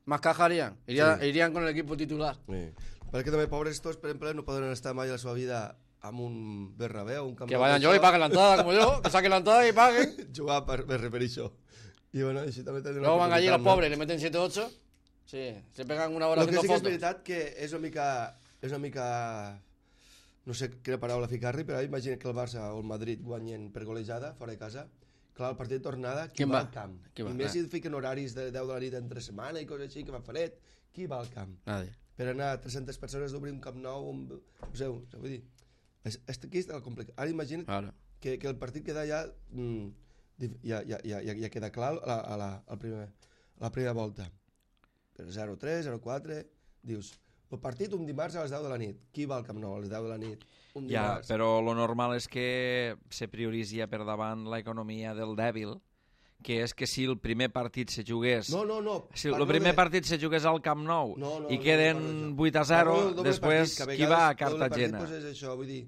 Más caja harían. Iría- Sí. Irían con el equipo titular. Sí. Perquè també pobres tots, per exemple, no poden estar mai a la seva vida amb un Bernabéu, un camp Que vayan yo y paguen la entrada como yo, que saquen la entrada y paguen. jugar per, per referir això. I bueno, així també tenen Luego una van allí los oportunitat, no? pobres y le meten siete ocho. Sí, se pegan una hora Lo que haciendo sí que és fotos. veritat que és una mica... És una mica... No sé quina paraula ficar-li, però imagina que el Barça o el Madrid guanyen per golejada, fora de casa. Clar, el partit de tornada, qui Qui va va? al camp? Qui va? I més Eh. si fiquen horaris de deu de la nit entre setmana i coses així, que fa fred. Qui va al camp? Nadie. Per anar tres-centes persones d'obrir un camp nou, un... no sé, vull dir... És, és, aquí està el complicat. Ara imagina't Claro. que, que el partit queda ja, mm, dif- ja, ja, ja, ja, ja queda clar a la, a la, a la, primer, a la primera volta. Per zero tres, zero quatre, dius, el partit un dimarts a les deu de la nit. Qui va al Camp Nou a les deu de la nit? Un Ja, dimarts. però lo normal és que se prioritzi per davant l'economia del dèbil, que és que si el primer partit se jugués... No, no, no. Si el parlo primer de- partit se jugués al Camp Nou No, no, i no, queden no parlo d'això. vuit a zero, Parlo del doble després partit, que qui va a vegades doble Cartagena? partit, doncs és això, vull dir...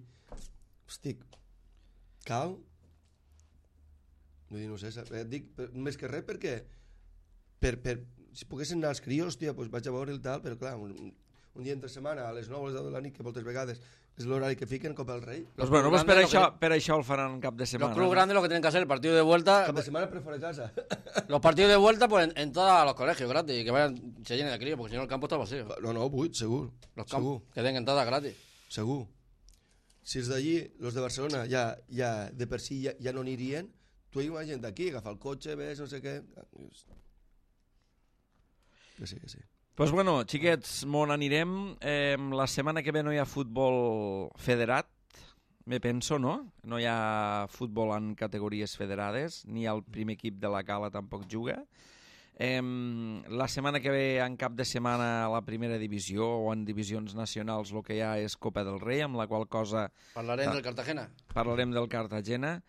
Estic... Cal? Vull dir, no sé, sap- et dic per, més que res perquè... Per, per, si poguessin anar els crios, hòstia, doncs vaig a veure el tal, però clar, un, un dia entre setmana, a les nou, a les deu de la nit, que moltes vegades és l'horari que fiquen Copa del Rei. Pues bueno, pues per, Grande, això, lo que- per això el faran cap de Los setmana. clubes no? grandes lo que tienen que hacer, el partido de vuelta, Cap de setmana per fora de casa. los partidos de vuelta, pues en, en todos los colegios gratis, y que vayan, se llenen de críos, porque si no el campo está vacío. No, no, vuit, segur. Los segur, campos, que den entradas gratis. segur. Si els d'allí, els de Barcelona, ja, ja de per si ja, ja no anirien, tu imagina't d'aquí, agafar el cotxe, ves, no sé què... Que sí, que sí. Pues bueno, xiquets, m'on anirem? Eh, la setmana que ve no hi ha futbol federat, me penso, no? No hi ha futbol en categories federades, ni el primer equip de la Cala tampoc juga. Eh, la setmana que ve, en cap de setmana, a la primera divisió o en divisions nacionals, el que hi ha és Copa del Rei, amb la qual cosa Hablaré Ah. del Cartagena. parlarem del Cartagena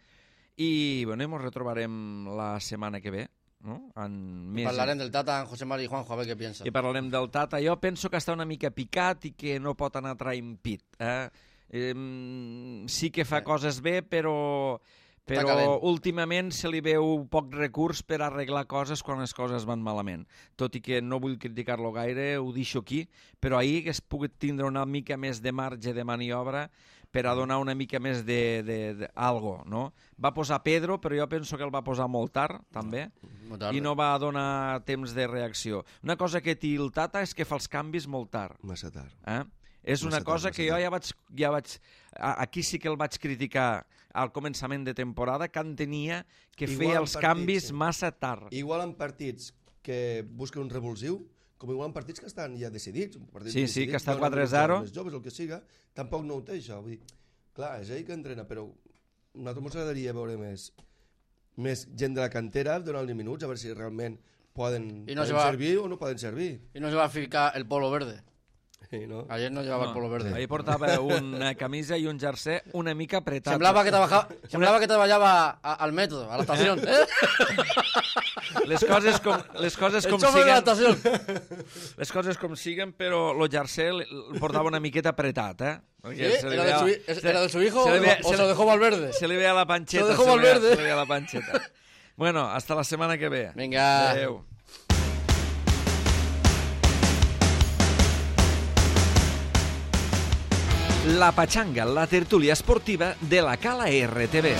i, bueno, ens retrobarem la setmana que ve, no? En més... Hablaré del Tata, José Mari y Juanjo, a ver qué piensa. I parlarem del Tata. Jo penso que està una mica picat i que no pot anar traient pit. Eh? Eh, sí que fa coses bé, però, però calent. últimament se li veu poc recurs per arreglar coses quan les coses van malament. Tot i que no vull criticar-lo gaire, ho deixo aquí, però ahir que es pugui tindre una mica més de marge de maniobra per a donar una mica més de, de, de algo, no? Va posar Pedro, però jo penso que el va posar molt tard, també, Muy tarde. i no va donar temps de reacció. Una cosa que té el Tata és que fa els canvis molt tard. Massa tard. Eh? És una Massa tard, cosa massa que jo tard. ja vaig, ja vaig... a- Aquí sí que el vaig criticar al començament de temporada, que entenia que Igual feia en els partits, canvis sí. massa tard. Igual en partits que busquen un revulsiu, com igual en partits que estan ja decidits. un partit Sí, sí, decidit, que està donen quatre a uns zero. joves Més joves, el que siga, tampoc no ho té, això. Vull dir, clar, és ell que entrena, però a nosaltres ens agradaria veure més, més gent de la cantera donant-li minuts, a veure si realment poden, I no poden se va- servir o no poden servir. Y no se va a ficar el polo verde. Sí, no? Ayer no llevaba el polo verde. Ahir portava una camisa i un jersei una mica apretat. Semblaba que trabajaba, semblava que trabajaba a- al metro, a la estación. ¿eh? Les coses com, les coses El com chofer de la siguen, estación. les coses com siguen, però el jersei el el portava una miqueta apretat, eh? Perquè ¿Sí? se li ¿Era, de veia- su, hi- se- ¿Era de su hijo se o, li veia- o se se lo li- dejó Valverde? Se li veia la panxeta. Se lo dejó li veia- Valverde. Se li veia la panxeta. Bueno, hasta la setmana que ve. Venga. Adéu. La Pachanga, la tertúlia esportiva de la Cala R T V.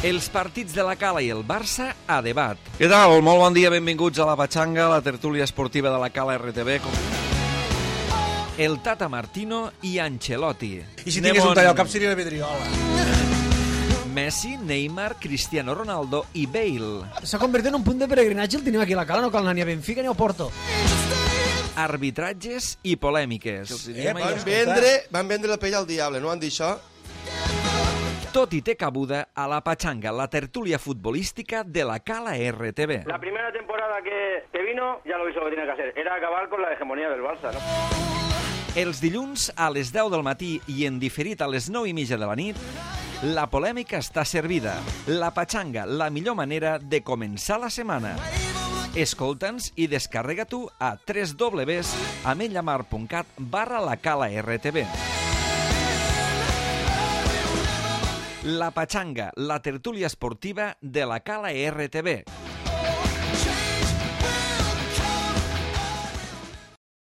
Els partits de la Cala i el Barça a debat. Què tal? Molt bon dia, benvinguts a la Pachanga, la tertúlia esportiva de la Cala R T V. El Tata Martino i Ancelotti. I si Anem tingués un on- tall al cap seria la vidriola. Messi, Neymar, Cristiano Ronaldo i Bale. S'ha convertit en un punt de peregrinatge, el tenim aquí a la Cala, no cal anar ni a Benfica ni a Porto. Arbitratges i polèmiques. Eh, Van Escolta. vendre, van vendre la pell al diable, no van dir això? Tot i té cabuda a la Pachanga, la tertúlia futbolística de la Cala R T V. La primera temporada que, que vino, ya lo hizo lo que tenía que hacer. Era acabar con la hegemonía del Barça, ¿no? Els dilluns a les deu del matí i en diferit a les nou i mitja de la nit, la polèmica està servida. La Pachanga, la millor manera de començar la setmana. Escolta'ns i descarrega tu a w w w punt ametlllamar punt cat barra la Cala R T V. La Pachanga, la tertúlia esportiva de la Cala R T V.